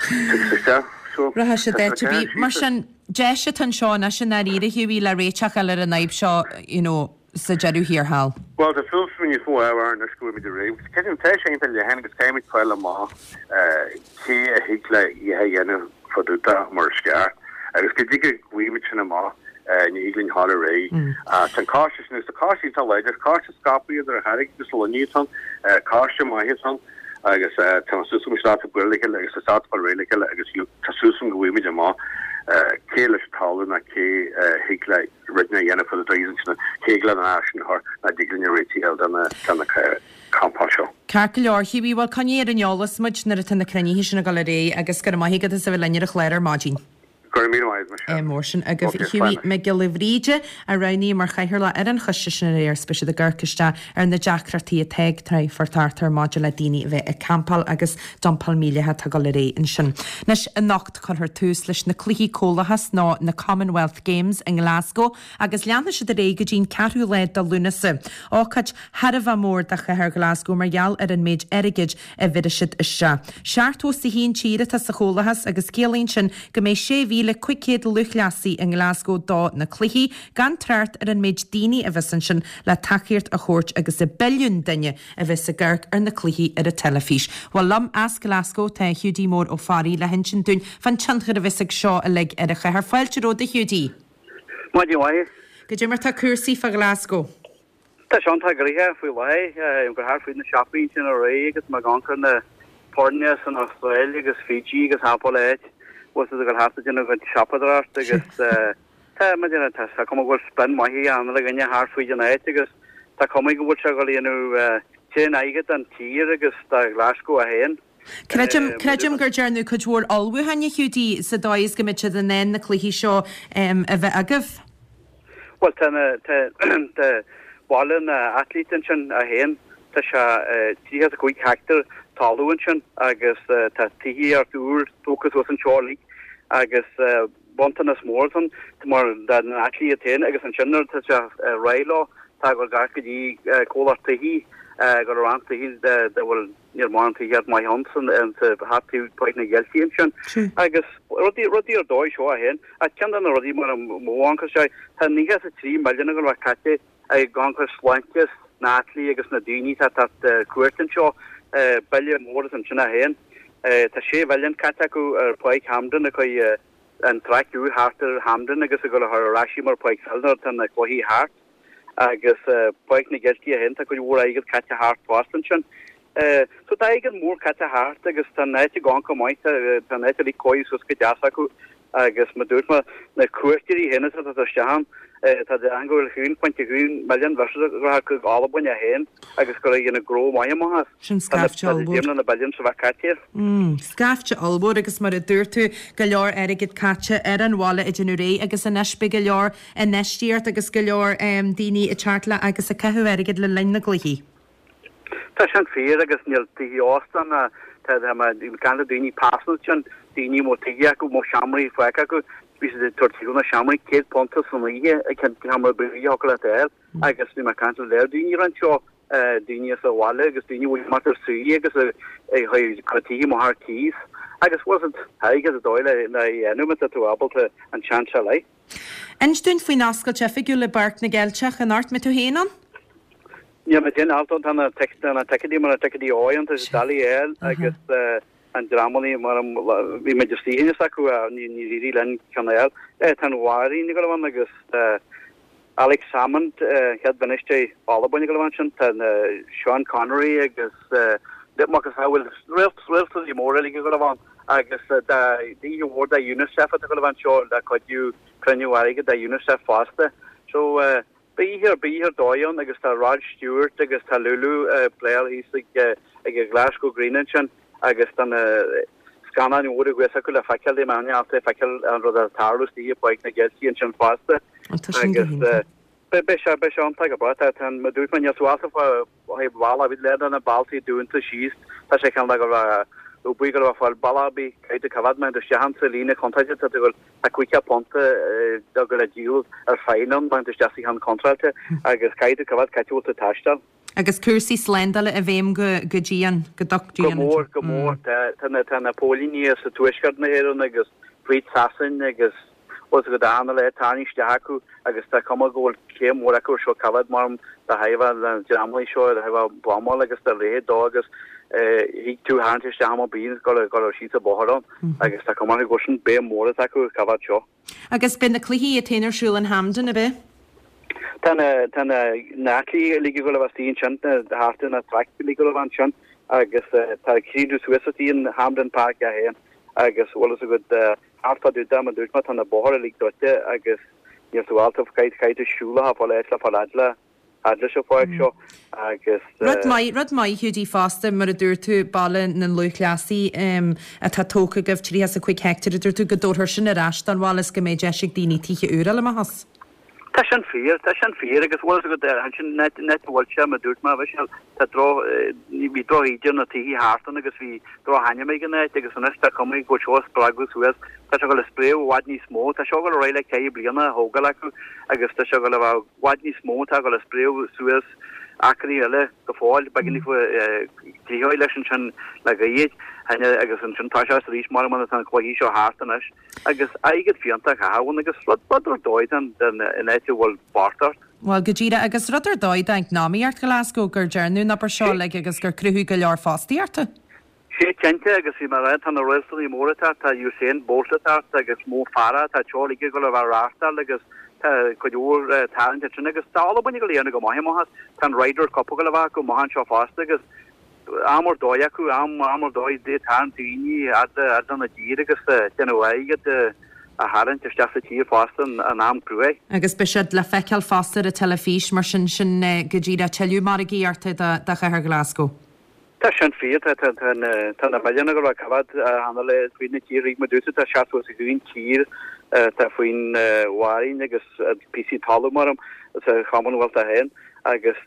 tig siad isteach. So, Rachaidh siad áit ar bith. Mar sin, deis atá anseo anois i ndáiríre, a Hughie, le réiteach a fháil ar an fhadhb seo, you know, sa deireadh thiar thall. Bhuel, tá súil agam níos mó ábhar anois go bhfuil muid ar aghaidh. Creidim, tá sé iontach leathan agus caithfimid fáil amach cé a thig le a dhéanamh fá dtaobh de mar is ceart. Agus go dtí go bhfaighimid sin amach, ní thig linn dhul ar aghaidh. Tá an coiste sin, agus tá coiste iontach láidir, coiste scaipthe idir an Charraig agus Luimneach atá ann, coiste maith atá ann agus tá súil agam go bhfuil siad ábalta bualadh le chéile agus tá siad ábalta fáil réidh le chéile agus tá súil agam go bhfaighimid amach cé leis an talamh ná cé a thig le rud a dhéanamh fá dtaobh ansin cé ag lean an áis sin a chur ná dtig linn a réitigh a fháil do na campáil seo. Ceart go leor, Hughie, bhuel coinnigh ar an eolas muid nuair atá na cruinnithe sin ag dul ar aghaidh agus go raibh maith agat as a bheith linn ar an chlár ar maidin. Go raibh míle maith agat, Michelle. Mór sin agaibh. Ok, Hughie slán. Mac Giolla Bhríde a roghnaíodh mar chathaoirleach ar an choiste sin aréir is beidh siad ag amharc isteach ar na deacrachtaí atá ag Trá Phort Arthur maidir le daoine a bheith ag campáil agus dumpáil mílleathach atá ag dul ar aghaidh ansin. Anois, anocht cuirfear tús leis na Cluichí Comhlachais nó na Commonwealth Games i nGlasgow agus leanfaidh siad ar aghaidh go dtí'n ceathrú lá de Lúnasa. Ócáid thar a bheith mór do chathair Ghlasgow mar gheall ar an méid airgid a bheirfidh siad isteach. 71 tír atá sa Chomhlachas agus ciallaíonn sin go mbeidh 6,500 lúthchleasaí i nGlasgow do na cluichí, gan trácht ar an méid daoine a bheas ansin le tacaíocht a thabhairt agus an billiún duine a bheas ag amharc ar na cluichí ar an teilifís. Bhuel liom as Glasgow tá Hiúdaí Mór Ó Fearraigh le hinsint dúinn fán tionchar a bheas ag seo uilig ar an chathair. Fáilte romhat a Hiúdaí. Maidin mhaith. Goidé mar tá cúrsaí fá Ghlasgow? Tá sé iontach gnoitheach faoi láthair. Ag gabháil thart fríd na siopaí ansin aréir agus mé ag amharc ar na foirne san Astráil agus Fiji agus achan áit bhfuil siad ag dul thart ag déanamh a gcuid siopadóireacht agus tá, mar a déarfá, tá cuma go bhfuil spin maith ag achan uile dhuine thart fríd an áit agus tá cuma go bhfuil sé ag dul a dhéanamh tréan airgead don tír agus do Ghlasgow é féin. Creidim, creidim gur dearnadh cuid mhór ullmhúcháin, a Hiúdaí, sa dóigh is go mbeidh siad in ann na cluichí seo a bheith agaibh. Bhuel, tá na, tá, tá baile na n-athlete ansin é féin, tá sé 35 heicteár talamh ansin agus tá tithíocht úr tógtha suas anseo uilig. Agus bronntanas mór ann mar do na athléití iad féin agus ansin nuair atá sé ar aghaidh leo tá ag dul gar go dtí comhlacht tithí ag dul a roinnt tithí dá bhfuil níl mórán tithíocht maith ann san sa thart taobh Páirc na gCeilteach ansin agus rudaí rudaí ar dóigh seo a féin ach ceann de na rudaí mar a mó ann sé tá 93 milliún ag dul a bheith caite ag amharc ar sláinte na n-athléití agus na daoine atá ag teacht ar cuairt anseo, bille mór is ansin é féin. Tá 6 mhilliún caite acu ar Pháirc Hampden ag cur an traic úr thart ar Hampden agus ag dul a chur ar ais í mar Páirc Pheil nuair atá na cluichí thart. Agus Páirc na gCeilteach féin, tá cuid mhór airgead caite thart fosta ansin. So tá airgead mór caite thart agus tá an áit ag amharc go maith, tá an áit uilig cóirithe suas go deas acu agus mar dúirt mé, na cuairteoirí féin atá ag teacht isteach ann, tá siad ag go bhfuil 1.1 milliún visitors ag chuig Albain é féin agus gur ag dhéanamh gnó maith amach as. Sin scaifte ollmhór. Tá na billions a bheith caite. Scaifte ollmhór agus mar a dúirt tú, go leor airgead caite ar an bhaile ag déanamh réidh agus anois beidh go leor infheistíocht agus go leor daoine ag teacht le agus ag caitheamh airgid le linn na gcluichí. Tá sin fíor agus níl tithe ósta ná tá mé ag caint le daoine pearsanta ansin, daoine a mbeadh tithe acu, a mbeadh seomraí fágtha acu, bhí siad ag tabhairt timpeall na seomraí, £100 san oíche ag ceann seomra breá a thiocfadh leat a fháil agus bhí mé ag caint le léir daoine roinnt seo, daoine as an bhaile agus daoine a bhfuil amach ar saoire agus ag cur tithe amach ar cíos agus bhfuil siad airgead ar dóigh le a dhéanamh má tá tú ábalta an seans a fháil. Inis dúinn faoin oscailt oifigiúil i bPáirc na gCeilteach anocht. Mbeidh tú féin ann? Níl mé féin ann, tá na ticéidí mar na ticéidí óidh tá siad doiligh a fháil agus an dreamannaí mar bhí muid istigh inniu acu níor éirigh linn ceann a fháil. Tá an Bhanríon ag dul a bheith ann agus Alex Salmond, chéad bhainisteoir Albain ag dul a bheith ansin, tá Sean Connery agus macasamhail réaltaí móra uilig ag dul a bheith ann agus oíche mhór do UNICEF atá ag dul a bheith anseo le cuidiú cruinniú airgid do UNICEF fosta. So beidh oíche beidh oíche ar dóigh ann agus tá Rod Stewart agus tá Lulu ag playáil thíos ag ag an Glasgow Green ansin agus tá na scannáin mhóra thuas acu le feiceáil dé mbeidh ábalta feiceáil an rud atá ag tarlú istigh i bPáirc na gCeilteach ansin fosta agus beidh sé beidh sé iontach go breá tá tá an dúirt mé níl suáilce fá Ó thaobh bhealach, bhí lear de na bealtaí dúnta síos. Tá sé cineál go raibh oibrí go raibh fáil bealach ar bith caithfidh tú coimheád má théann tú isteach ann sa líne contráilte tá tú ag tá £50 ag dul le díol ar fine ann má théann tú isteach sa cheann contráilte agus caithfidh tú coimheád cá háit a bhfuil tú ag taisteal. Agus cúrsaí slándála i bhfeidhm go go dian, go docht Go dian mór, go mór. Tá tá na tá na póilíní as tuaisceart na hÉireann agus fríd Sasain agus Bhfuil fhios agat achan uile tarraingt isteach acu agus tá cuma go bhfuil céim mhór acu ar seo coimheád mar do thaobh na dreamanna seo ar thaobh buamáil agus dá leithéid dó agus thig tú tharraingt isteach am ar bith go raibh síos an bóthar ann agus tá cuma orthu go sin béim mhór atá acu ar coimheád seo. Agus beidh na cluichí iad féin ar siúl in Hampden, ab ea? Tá na tá na na athléití uilig ag dul a bheith istigh ansin thart ar na traic uilig ag dul a bheith ansin agus tá críochnú suas istigh in Hampden Park é féin agus bhfuil fhios agat Thart fá dtaobh de, mar dúirt mé, tá na bóithre uilig druidte agus níl tú ábalta, caithfidh tú siúl a fáil áit le fáil fhad le, fhad leis an pháirc seo agus. Rud maith, rud maith Hiúdaí fosta, mar a dúirt tú, Baile na Lúthchleasaí atá tógtha agaibh, 35 heicteár, a dúirt tú, go dtabharfar sin ar ais don bhaile is go mbeidh deis ag daoine tithe úra a fháil amach as. Tá sin fíor, tá sin fíor agus bhfuil fhios agat ansin an áit a bhfuil sé, mar dúirt mé, bhí sé, tá droch, bhí droch-íde ar na tithe thart ann agus bhí drochainm ag an áit agus anois tá cuma go bhfuil seo ag spreagadh suas, tá sé ag dul a spréadh i bhfad níos mó, tá seo ag dul ar aghaidh le ceithre bliana a thógáil acu agus tá sé ag dul a bheith i bhfad níos mó, tá ag dul a spréadh suas acraí eile go fóill, beagáinín tríocha leis ansin le gaoth agus ansin tá sé arís mar tá na cluichí seo thart anois. Agus airgead fiúntach a chaitheamh ann agus rud ar dóigh den in áit a bhfuil bochtaineacht. Bhuel, go díreach, agus rud ar dóigh d'eacnamaíocht Ghlasgow gur dearnadh an obair seo uilig agus gur cruthú go leor fostaíochta. Sé cinnte, agus bhí mé ag rá, tá na réaltaí móra ag teacht, tá Usain Bolt ag teacht agus Mo Farah, tá seo uilig ag dul a bheith á reáchtáil agus tá cuid mhór tarraingt ansin agus tá Albain ag dul a dhéanamh go maith amach as. Tá an Ryder Cup ag dul a bheith acu amach anseo fosta agus am ar dóigh acu, am ar dóigh ag tarraingt daoine fhad lena dtír agus déanamh airgead a tharraingt isteach sa tír fosta in am cruaidh. Agus beidh siad le feiceáil fosta ar an teilifís, mar sin, sin go díreach tuilleadh margaíochta do chathair Glasgow. Tá sin fíor, tá tá na milliúin ag dul a coimheád cheana le faoin na tír, mar dúirt tú, tá 71 tír atá faoin bhanríon agus píosaí talún mar sa Chommonwealth é féin agus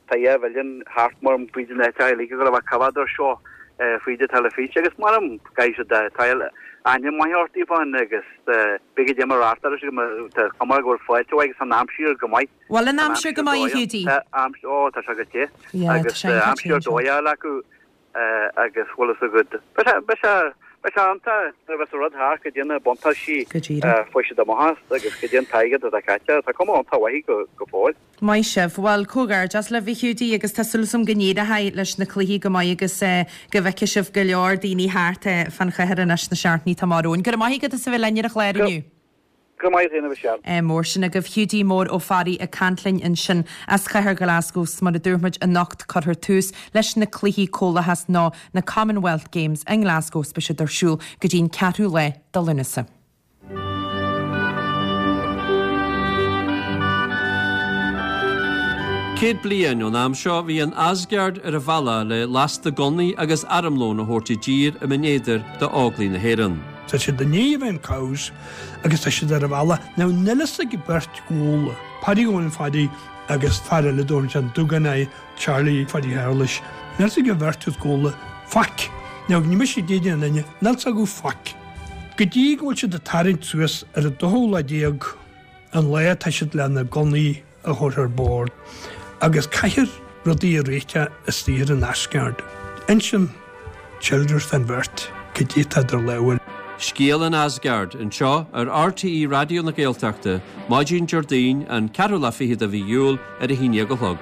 Tá 2 mhilliún thart mar fríd an áit uilig ag dul a bheith coimheád ar seo fríd an teilifís agus mar caithfidh siad tá aithne maith ort daofa agus beidh go deo mar reachtáil agus tá cuma go bhfuil fáilte mhaith agus tá an aimsir go maith. Bhfuil an aimsir go maith a Hiúdaí? Tá aimsir, ó tá sé go te agus tá aimsir dóigh fháil acu agus bhfuil fhios agat beidh sé, beidh sé, beidh sé iontach nuair a bheas an rud thart go dtí na buntáistí a fuair siad amach as agus go dtí an t-airgead atá caite, tá cuma iontach mhaith go, go fóill. Maith sibh. Bhuel, comhghairdeas libh a Hiúdaí agus tá súil agam go n-éireoidh leis na cluichí go maith agus go bhfeicfidh sibh go leor daoine thart fán chathair anois sna seachtainí atá amach romhainn. Go raibh maith agat as a bheith linn ar an chlár inniu. Go raibh maith agat a Mhichelle. Ádh mór sin agaibh. Hiúdaí Mór Ó Fearraigh ag caint linn ansin as Cathair Ghlasgow 's mar a dúirt muid anocht cuirfear tús leis na Cluichí Comhlachais nó na Commonwealth Games i nGlasgow 's beidh siad ar siúl go dtí'n ceathrú lá de Lúnasa. Céad bliain ón am seo bhí an Asgard ar a bhealach le lasta gunnaí agus armlón a thabhairt i dtír i mBinn Éadair d'Óglaigh na hÉireann. Tá siad i ndiaidh a bheith in Cowes agus tá siad ar a bhealach. Now níl fhios ag beirt ghabhla, Paddy Eoin Phaddy agus fear eile dóibh ansin, Dúgán é, Charlie Phaddy Shéarlais, níl fhios ag an bheirt is gabhla faic. Now ní mise ag déanamh an duine, níl fhios acu faic. Go dtí go bhfuil siad ag tarraingt suas ar an dóú lá déag an lá atá siad le na gunnaí a thabhairt ar bord agus caithfear rudaí a réiteach istigh ar an Asgard. Insíonn Childers don bheirt cad é atá idir lámha. Scéal an Asgard, anseo ar RTÉ Raidió na Gaeltachta, maidin Déardaoin, an ceathrú lá fichead de mhí Iúil, ar a haon dhéag a chlog.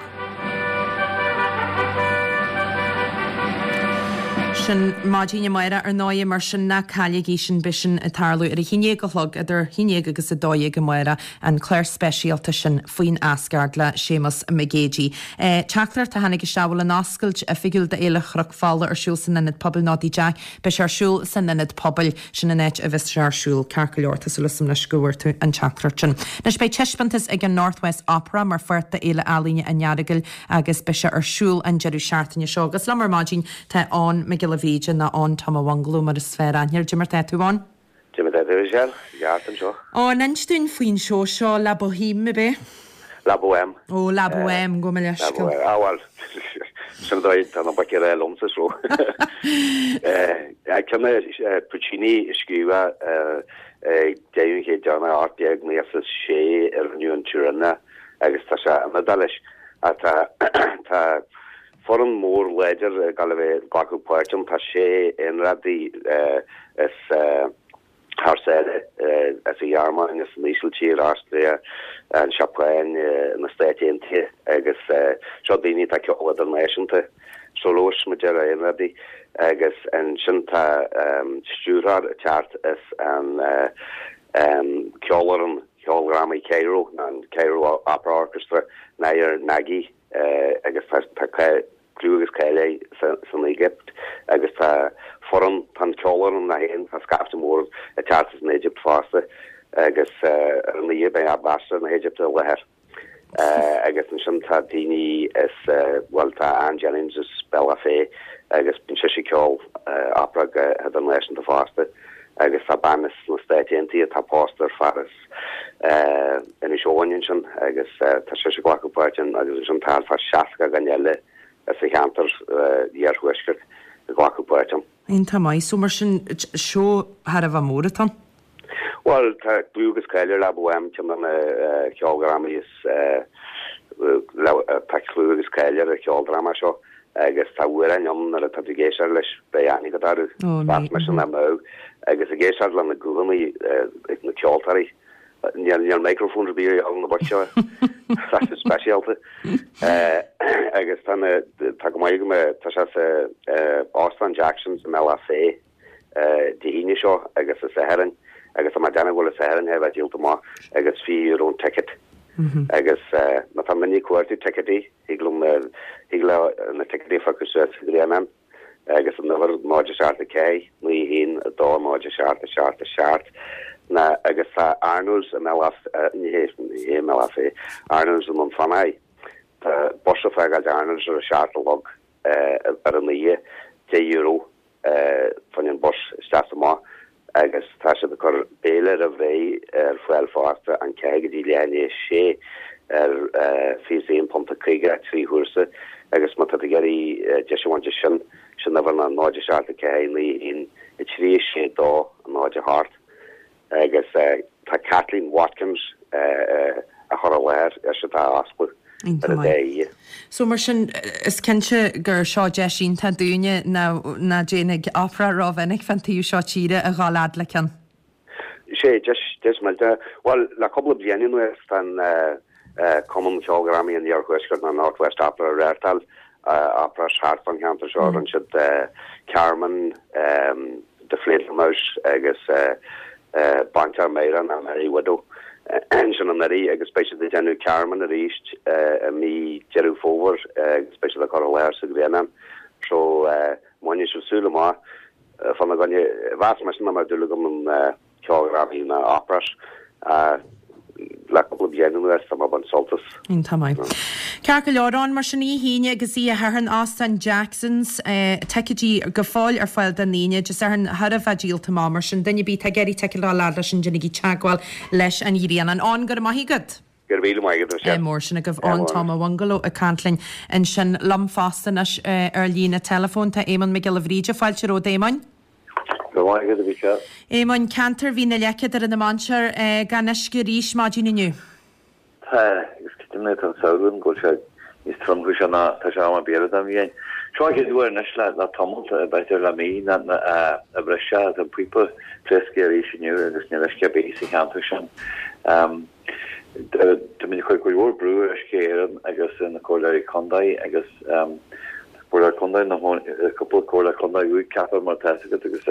Sin maidin amárach ar ndóigh, mar sin ná cailligí sin, beidh sin ag tarlú ar a haon dhéag a chlog, idir a haon dhéag agus a dó dhéag amárach. an clár speisialta sin faoin Asgard le Séamus Mac Géidigh. Teachtaireacht a tháinig isteach, bhfuil an oscailt oifigiúil d'Fhéile Chnoc Fola ar siúl san Ionad Pobail nó Tigh Jack? Beidh sé ar siúl san Ionad Pobail. Sin an áit a bheas sé ar siúl. Ceart go leor, tá súil agam anois go bhfuair tú an teachtaireacht sin. Anois beidh taispeántas ag an North West Opera mar pháirt d'Fhéile Ealaíne an Earagail agus beidh sé ar siúl an deireadh seachtaine seo. Agus liom ar maidin tá Eoin Mac Giolla Bhríde nó Eoin Tom a' Bhungaló mar is fearr aithne air. Cad é mar tá tú, Eoin? Cad é mar tá tú, Michelle, i gceart anseo. Ó, an inis dúinn faoin seó seo, La Boheme, ab é? La Bohème. Ó, La Bohème, gabh mo leithscéal. La Bohème, ah bhuel, sin an dóigh, tá na boic ag rá liomsa so. Ceann é Puccini a scríobh ag deireadh an chéid deireanach 1896 a rinneadh in Turin agus tá sé an-iodáilis. Ach tá, tá Foireann mór láidir ag gabháil a bheith ag glacadh páirt ann. Tá sé aonrádaí as thar sáile, as an Ghearmáin, as an Ísiltír, Austria, an Seapáin, na Stáit Aontaithe agus seo daoine atá ag ceol idirnáisiúnta, soloists mar a déarfá, aonrádaí agus ansin tá stiúrthóir ag teacht as an ceolfhoireann cheoldrámaí Cairo, an Cairo Opera Orchestra, Nader Nagui. agus tá clú agus cáil air san Éigipt agus tá foireann, tá an ceolfhoireann é féin, tá scaifte mór ag teacht as an Éigipt fosta agus ar an oíche beidh Ambassador na hÉigipte i láthair agus ansin tá daoine as, bhuel tá Anne Jennings as Bealach Féich agus bíonn sise ag ceol opera go hidirnáisiúnta fosta agus tá bean as na Stáit Aontaithe atá pósta ar fear as Inis Eoghain ansin agus tá sise ag glacadh páirt ann agus ansin tá thart fá 60 duine eile as an cheantar iarthuaisceart ag glacadh páirt ann. Iontach maith. So mar sin, seó thar a bheith mór atá ann? Bhuel, tá clú agus cáil ar La Bohème, ceann de na ceoldrámaí is, tá clú agus cáil ar an cheoldráma seo Agus tá amhráin ann nuair atá tú ag éisteacht leis, beidh aithne agat orthu. Mheas mise nach mbeadh. Agus ag éisteacht le na guthanna ag na ceoltóirí, níl níl microphone ar bith ar na boic seo. Tá sé speisialta. Agus tá na, tá go maith go mbeidh, tá sé sa Óstán Jackson's i mBealach Féich. Dé hAoine seo agus an Satharn agus tá mé ag déanamh go bhfuil an Satharn thar a bheith díolta amach agus €20 an ticket agus má tá duine ag cuartú ticéidí thig liom thig leo na ticéidí a phiocadh suas sa Ghrianán agus an uimhir 0 7 4 9 1 2 0 7 7 7 na agus tá Arnold's i mBealach ní hé ní hé i mBealach Féich Arnold's i nDún Fionnachaidh tá bus ag fágáil Arnold's ar a 7 a chlog ar an oíche €10 fá choinne an bus isteach is amach agus tá siad ag cur béile roimh ré ar fáil fosta an 4 go dtí leath i ndiaidh a sé ar £21.50 trí chúrsa agus má tá tú ag iarraidh deis a bhaint as sin. Sin uimhir ná 0 7 4 9 1 3 6 2 0 8 agus tá Kathleen Watkins á chur i láthair is atá á oscladh ar an dá oíche. So mar sin, is cinnte gur seo deis iontach dúinne ná déanfaidh opera rómhinic fán taobh seo tíre a dhul fhad le ceann. Sé, deis, deis millteach. Bhuel, le cúpla bliain anuas tá an Cumann Ceoldrámaí an Iarthuaiscirt nó North West Opera ag reáchtáil operas thart fán cheantar seo. Rinne siad Carmen, Die Fledermaus agus Baintreach Máire nó Merry Widow ansin anuraidh agus beidh siad ag déanamh Carmen arís i mí Deireadh Fómhair agus beidh siad á cur i láthair sa Ghrianán. So, má choinníonn sibh súil amach fána gcoinne, mheas mise nach mbeadh dúil agam in ceoldrámaí ná operas le cúpla bliain anuas, tá mé ag baint sult as. Iontach maith. Ceart go leor ann, mar sin oíche hAoine agus oíche Shathairn, Óstán Jackson's, ticéidí go fóill ar fáil don Aoine, Dé Sathairn thar a bheith díolta amach, mar sin duine ar bith atá ag iarraidh ticéad a fháil leis an déanaigí teagmháil leis an Ghrianán. Eoin, go raibh maith agat. Go raibh míle maith agat, Ádh mór sin agaibh. Eoin Tom a' Bhungaló ag caint linn ansin. Liom fosta anois ar líne teileafóin tá Éamonn Mac Giolla Bhríde. Fáilte romhat, Éamoinn. Go raibh maith agat, a Mhichelle. Éamoinn, ceantar Mhín na Leice, Doire na Mainséar, gan uisce arís maidin inniu. Tá, agus creidim tá an samhradh ann go bhfuil sé níos tromchúisí ná tá sé am ar bith eile den bhliain. Seo an chéad uair anois le tamall, b'fhéidir le mí, a bhris sé, tá an píopa pléasctha arís inniu agus níl uisce ar bith sa cheantar sin. Táimid ag cur cuid mhór brú ar Uisce Éireann agus ar na Comhairleoirí Contae agus Comhairleoir Contae na cúpla Comhairleoir Contae úd ceaptha mar atá fhios agat agus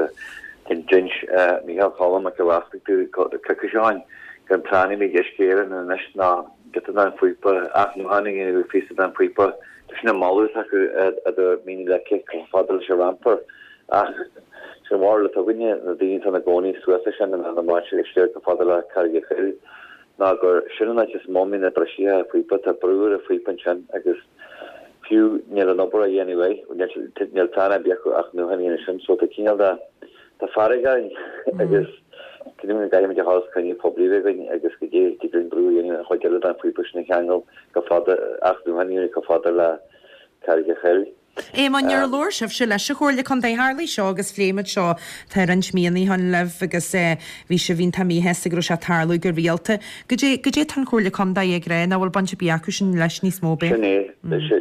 d'inis Micheál Cholm Mac Giolla Easpaig dúinn coicís ó shin gur an plean a bhí ag Uisce Éireann anois ná giota den phíopa athnuachan a dhéanamh ar phíosa den phíopa sin an moladh atá acu idir Mín na Leice chomh fada leis an Rampar ach sin an bharúil atá againne, na daoine atá ina gcónaí suas leis sin i mBéal na Mainséar agus siar chomh fada le Carraig a' Choill, ná gur sin an áit is mó a mbíonn na briseacha phíopa, tá brú ar an phíopa ansin agus fiú níl an obair á dhéanamh air, níl plean ar bith acu athnuachan a dhéanamh sin, so tá cineál de, tá fearg orainn agus creidim go gcaithfimid a dhul os cruinniú poiblí a bheith againn agus go dté, dtig linn brú a dhéanamh an chuid eile den phíopa sin a cheangal chomh fada, athnuachan a dhéanamh chomh fada le Carraig a' Choill. Éamonn, ar labhair sibhse leis an Chomhairle Contae? Tharlaigh seo agus phléigh muid seo tá roinnt míonna ó shin libh agus bhí sibh iontach míshásta go raibh sé ag tarlú go rialta. Goidé, goidé tá an Chomhairle Contae ag rá, nach bhfuil baint ar bith acu sin leis níos mó, b'é? Sin é,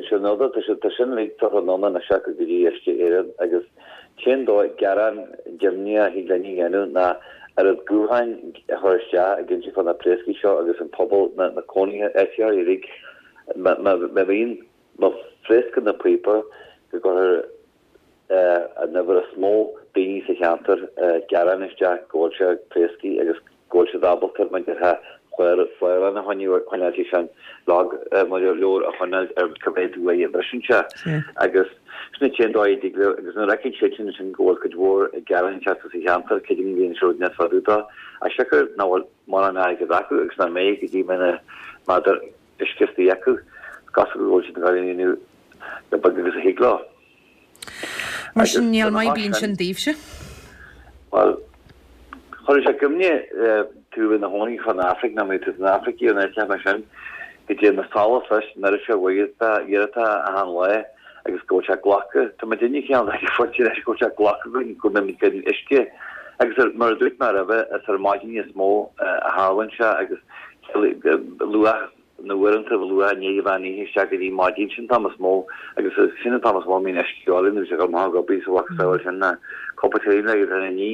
sin rud, tá sé, tá sin uilig tugtha anonn anois acu go dtí Uisce Éireann agus cén dóigh gearán deimhneach a thig linn a dhéanamh ná oiread gutháin a chur isteach ag inse fá na pléascaí seo agus an pobal, na, na cónaithe, áititheoirí uilig, má, má, má bhíonn Má phléascann an píopa go gcuirfear an uimhir is mó daoine sa cheantar gearán isteach go bhfuil sé ag pléascadh agus go bhfuil siad ábalta mar déarfá clárlann a choinneáil sé sin log mar leabhar a choinneáil ar cá mhéad uair a bhriseann sé agus sin an t-aon dóigh a dtig leo agus nuair a fheiceann siad sin ansin go bhfuil cuid mhór gearán ag teacht as an cheantar creidim go mbíonn siad níos fadúda as siocair nach bhfuil mórán airgead acu agus nach mbeidh go dtí mbeidh na meadar uisce istigh acu. Is cosúil go bhfuil siad ag dul a dhéanamh chomh beag agus a thig leo. Mar sin, níl maith ar bith ansin daoibhse. Bhuel, chuirfeadh sé i gcuimhne tú i do chónaí san Afraic, nó má bhí tú san Afraic in áit mar sin, go dtéann na solas leis an oiread seo uaireanta, uaireanta achan lá agus go bhfuil sé glactha. Tá muid inniu cineál ag an phointe anois go bhfuil sé glactha againn go mbeimid gan uisce. Agus mar a dúirt mé roimhe, is ar maidin níos mó a tharlaíonn sé agus luath na uaireanta luath i ndiaidh an mheán oíche isteach go dtí maidin sin an t-am is mó agus sin an t-am is mó a mbíonn uisce orainn agus ag dul amach ag obair sa mhacasamhail sin na cupán tae le agus ní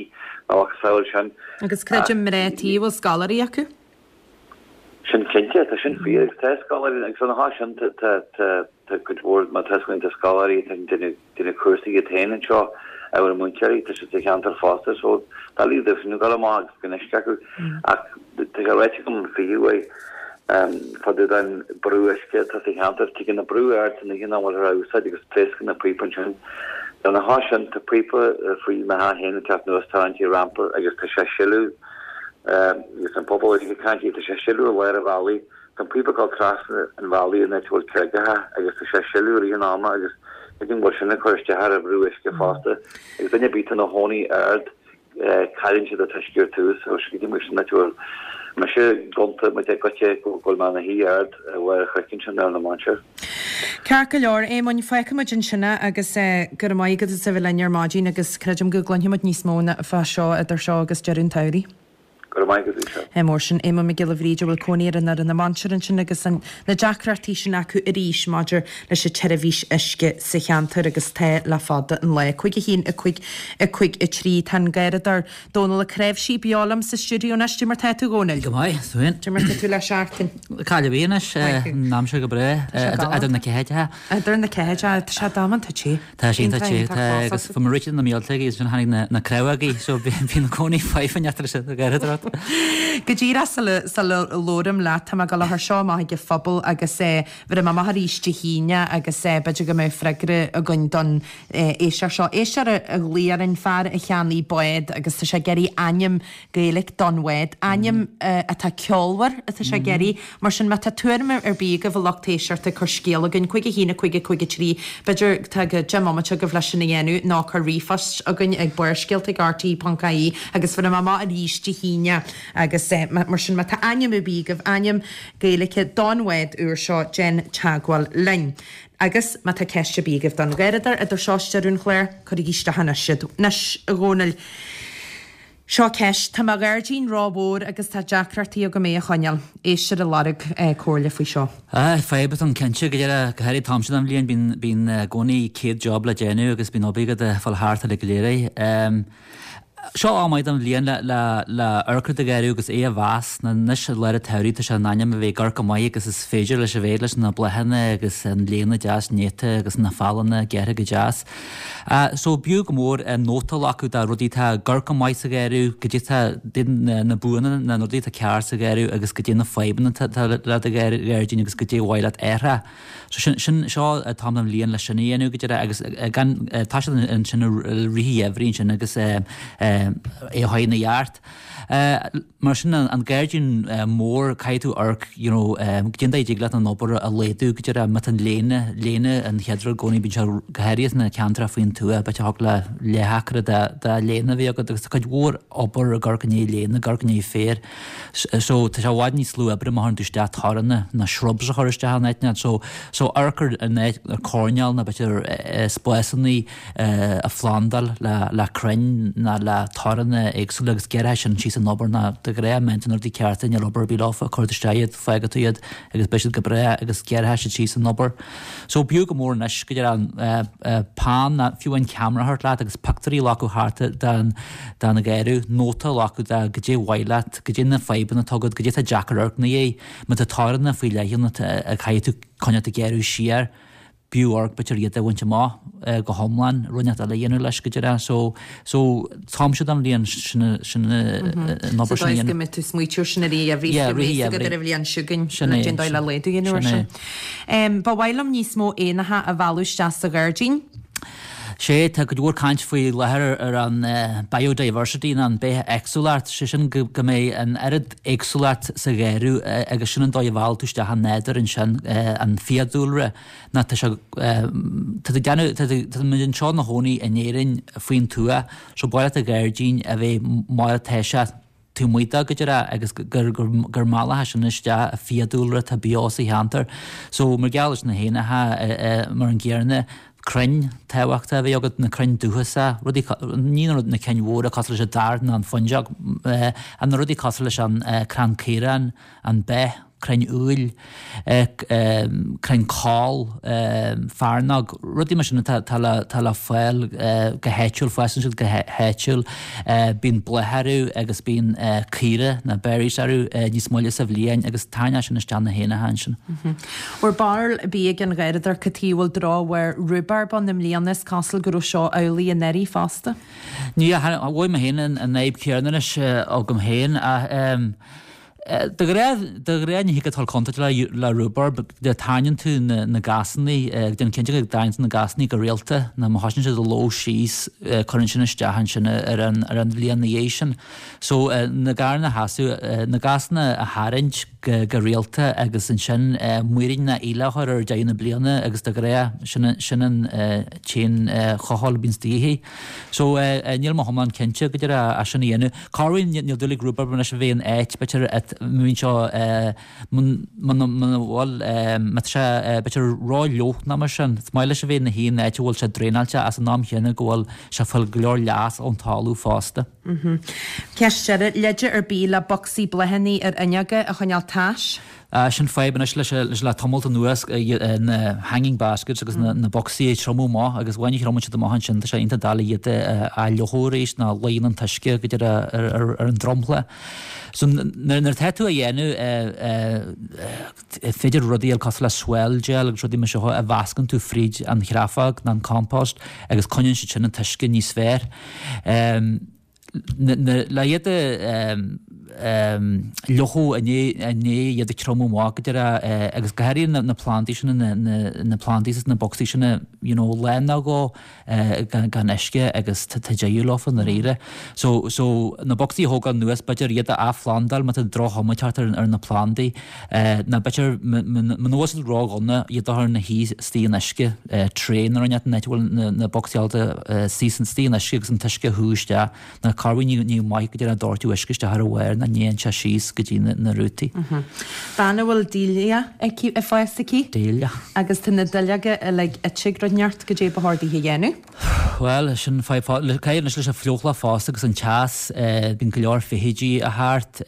na mhacasamhail sin. Agus creidim mná tí a bhfuil scoláirí acu. Sin cinnte, tá sin fíor agus tá scoláirí agus ina theannta sin tá tá tá cuid mhór má tá tá scoláirí tá déanamh déanamh cúrsaí iad féin anseo ábhar múinteoirí tá siad sa cheantar fosta so doiligh dóibh sin a dhul amach agus gan uisce acu ach tá sé ráite agam fiú uaidh fá dtaobh den brú uisce atá sa cheantar tigeann an brú ard san oíche nach bhfuiltear á úsáid agus pléascann an píopa ansin. Lena chois sin tá píopa faoi mo theach féin ag teacht anuas tarraingt i rampar agus tá sé ag sileadh agus an pobal uilig ag caint tá sé ag sileadh i lár an bhealaigh Tá an píopa ag dul trasna an bhealaigh in áit a bhfuil creagacha agus tá sé ag sileadh i rith an ama agus creidim go bhfuil sin ag cur isteach ar an bhrú uisce fosta. Agus duine ar bith atá ina chónaí ard, cailleann siad an t-uisce ar tús so creidim go bhfuil sin áit a bhfuil. Mise gonta muid ag goitse go bhfuil mé ina shuí ard ar bharr an chnoic ansin ar na Mainséar. Ceart go leor, Éamoinn, fágfaidh muid ansin é agus go raibh maith agat as a bheith linn ar maidin agus creidim go gcluinfidh muid níos mó fá seo idir seo agus deireadh an tsamhraidh. Go raibh maith agat, Lisa. Ádh mór. Sin Éamonn Mac Giolla Bhríde a bhfuil cónaí air in Árainn na Mainséar ansin agus an na deacrachtaí sin acu arís maidir leis an tseirbhís uisce sa cheantar agus tá le fada an lá. 5 1 5 5 3 Tá an Garradóir Dónal Ó Cnáimhsí beo liom sa stiúideo anois. Cad é mar tá tú, a Dhónaill? Go maith, tú féin? Cad é mar tá tú le seachtain? Caill ar bith anois, an aimsir go breá, idir na ceathair. Idir na ceathair, tá sé damanta te. Tá sé iontach te, tá, agus bhí mé rite na míolta agus ansin tháinig na craobhaigí so bhí na cónaí faighfinn eatarthu sin go gairid ort. Go díreach sula sula labhraím leat, tá mé ag dul a chur seo amach ag an phobal agus bhéarfaidh mé amach arís Dé hAoine agus b'fhéidir go mbeidh freagra againn don éisteoir seo. Éisteoir a ghlaoigh orainn, fear a cheannaigh bád agus tá sé ag iarraidh ainm Gaeilge don bhád, ainm atá ceolmhar atá sé ag iarraidh. Mar sin, má tá tuairim ar bith agaibh, a lucht éisteachta, cuir scéala chugainn, 5 1 5 5 3, b'fhéidir, tá go 10 mbomaite agaibh leis sin a dhéanamh, nó cuir ríomhphost chugainn ag barrscéalta ag rte.ie agus bhéarfaidh mé amach arís Dé hAoine agus mar sin, má tá ainm ar bith agaibh, ainm Gaeilge don bhád úr seo, déan teagmháil linn. Agus má tá ceist ar bith agaibh don Gharradóir idir seo is deireadh an chláir, cuirigí isteach anois iad. Anois, a Dhónaill. Seo ceist, Tá mo ghairdín ró-mhór agus tá deacrachtaí agam é a choinneáil. Éisteoir ag lorg comhairle faoi seo. Aye, fadhb atá ann cinnte, go deire, go háirithe an t-am seo den bhliain, bíonn, bíonn i gcónaí 100 job le déanamh agus bíonn obair agat ag fáil thart uilig go léir é. Seo am maith den bhliain le, le, le amharc ar do gharradh agus é a mheas, nó anois i lár an tsamhraidh tá sé in ainm a bheith ag amharc chomh maith agus is féidir leis a bheith leis na bláthanna agus an léana deas néata agus na fealanna gearrtha go deas. So b'fhiú go mór nóta a ghlacadh de rudaí atá ag amharc go maith sa gharradh, goidé tá na buanna, na rudaí atá ceart sa gharradh agus goidé na fadhbanna atá le do ghairdín agus goidé ba mhaith leat a athrá. So sin, sin, seo an t-am den bhliain le sin a dhéanamh go deireadh agus gan, tá siad ansin i rith an gheimhridh ansin agus é a chur ina cheart. Mar sin, an gairdín mór, caithfidh tú amharc, you know, goidé an dóigh a dtig leat an obair a laghdú, go deireadh, má tá an léana, léana an chéad rud i gcónaí, bíonn sé go háirithe sna ceantracha faoin tuath, b'fhéidir thig le leath-acra de, de léana a bheith agat agus tá cuid mhór obair ag amharc i ndiaidh léana, ag amharc i ndiaidh féar. So, tá sé i bhfad níos lú oibre má chuireann tú isteach toranna nó shrubs a chur isteach in áit na, so, so amharc ar an áit, ar coirnéal nó b'fhéidir spásanna, a phlandáil le crainn ná le toranna éagsúla agus gearrfaidh sin síos an obair ná de ghnáth má dhéanann tú na rudaí cearta níl obair ar bith leofa, cuir isteach iad, fágfaidh tú iad agus beidh siad go breá agus gearrfaidh siad síos an obair. So b'fhiú go mór anois go deireadh peann ná fiú an ceamara a thabhairt leat agus pictiúirí a ghlacadh thart den den gharradh, nóta a ghlacadh de goidé ba mhaith leat, goidé na fadhbanna atá agat, goidé atá deacair amharc ina dhiaidh, má tá toranna faoi leith ann a caithfidh tú coinneáil ag gearradh siar. b'fhiú amharc b'fhéidir iad a bhaint amach go hiomlán, rud inteacht eile a dhéanamh leis go deireadh. So, so t-am seo den bhliain sin sin an obair sin a dhéanamh. Sa dóigh is go mbeidh tú smaoitiú sin i rith an gheimhridh, Yeah, rith an gheimhridh. ar an bhliain seo chugainn, Sin é, cén dóigh le laghdú a dhéanamh ar sin sin. é. Ba mhaith liom níos mó éanacha a mhealladh isteach sa ghairdín. Sé, tá cuid mhór caint faoi láthair ar an biodiversity nó an bithéagsúlacht, sé sin go go mbeidh an oiread éagsúlacht sa gharradh agus sin an dóigh a mheallann tú isteach an nádúr ansin, an fiadhúlra ná tá sé, tá tú ag déanamh, tá tú, tá muid anseo ina chónaí in Éirinn faoin tuath so ba mhaith leat do ghairdín a bheith mar atá sé taobh amuigh de go deireadh agus gur, gur, gur meallfaidh sin isteach an fiadhúlra atá beo sa cheantar. So mar gheall leis na héanacha mar an gcéanna, crainn tábhachtach a bheith agat, na crainn dúchasacha, rudaí, ní na na cinn mhóra cosúil leis an dair ná an fuinseog, ach na rudaí cosúil leis an crann caoráin, an beith, crainn úill, crainn coll, fearnóg, rudaí mar sin atá le atá le fáil go háitiúil, fásann siad go háitiúil, bíonn bláth orthu agus bíonn caora nó berries orthu níos moille sa bhliain agus tarraingíonn sin isteach na héanacha ansin. Bhfuair barúil ar bith ag an Gharradóir cad chuige a bhfuil drochbharr rúbarb ann i mbliana? Is cosúil go raibh seo amhlaidh anuraidh fosta. Ní, mhothaigh mé féin an fhadhb chéanna anois agam féin ach de ghnáth, de ghnáth ní thig leat dul contúirt le le rúbarb, de tarraingíonn tú na na gasannaí, déan cinnte go dtarraingíonn tú na gasannaí go rialta nó má thosaíonn siad ag ló síos cuireann sin isteach ansin ar an ar an bhliain ina dhiaidh sin. So na garranna a sheasamh, na gasanna a tharraingt go rialta agus ansin muirín ná íle a chur ar deireadh na bliana agus de ghnáth sin sin an t-aon chothabháil a bhíonns de dhíth. So níl mé iomlán cinnte go deireadh as sin a dhéanamh. Corruair níl dúil ag rúbarb anois a bheith in áit b'fhéidir. Má bhíonn sé, muna bhfuil, má tá sé b'fhéidir ró-fhliuch nó mar sin, is maith leis a bheith ina shuí in áit a bhfuil sé draenáilte ach san am chéanna go bhfuil sé ag fáil go leor leas ón talamh fosta. Ceist deiridh, leide ar bith le bocsaí bláthanna ar fhuinneoga a choinneáil tais? Sin fadhb anois leis le tamalt anuas, na hanging baskets agus na bocsaí ag triomú amach agus amháin a thriomaíonn siad amach ansin tá sé iontach doiligh iad a fhliuchadh arís nó luíonn an t-uisce go dtí ar an dromchla. So nuair atá tú á dhéanamh is féidir rudaí eile cosúil le swell gel agus rudaí mar seo a mheascann tú fríd an chreafóg nó an compost agus coinníonn siad sin an t-uisce níos fearr. Le iad a fhliuchadh i ndiaidh iad ag triomú amach go deireadh agus go háirithe na plandaí sin, na plandaí sna bocsaí sin, you know, lá nó dhó gan uisce agus tá deireadh leofa i ndáiríre. So, so na bocsaí a thógáil anuas, b'fhéidir iad a athphlandáil má tá droch-chuma ag teacht ar na plandaí, nó b'fhéidir muna bhfuil siad ródhona iad a chur ina shuí istigh in uisce, tray nó rud inteacht an áit a bhfuil na bocsaí ábalta suí istigh in uisce agus an t-uisce a shú isteach. Nó corruair ní maith go dtí ag doirteadh uisce isteach ar a bharr ná ní théann sé síos go dtí na rútaí. Bean a bhfuil dahlia aici ag fás aici. Dahlia. Agus tá na duilleoga uilig ite ag rud inteacht, goidé ba chóir daoithe a dhéanamh? Bhuel, sin fadhb. Caithfidh anois leis an fliuchlach fosta agus an teas, bíonn go leor feithidí a thart.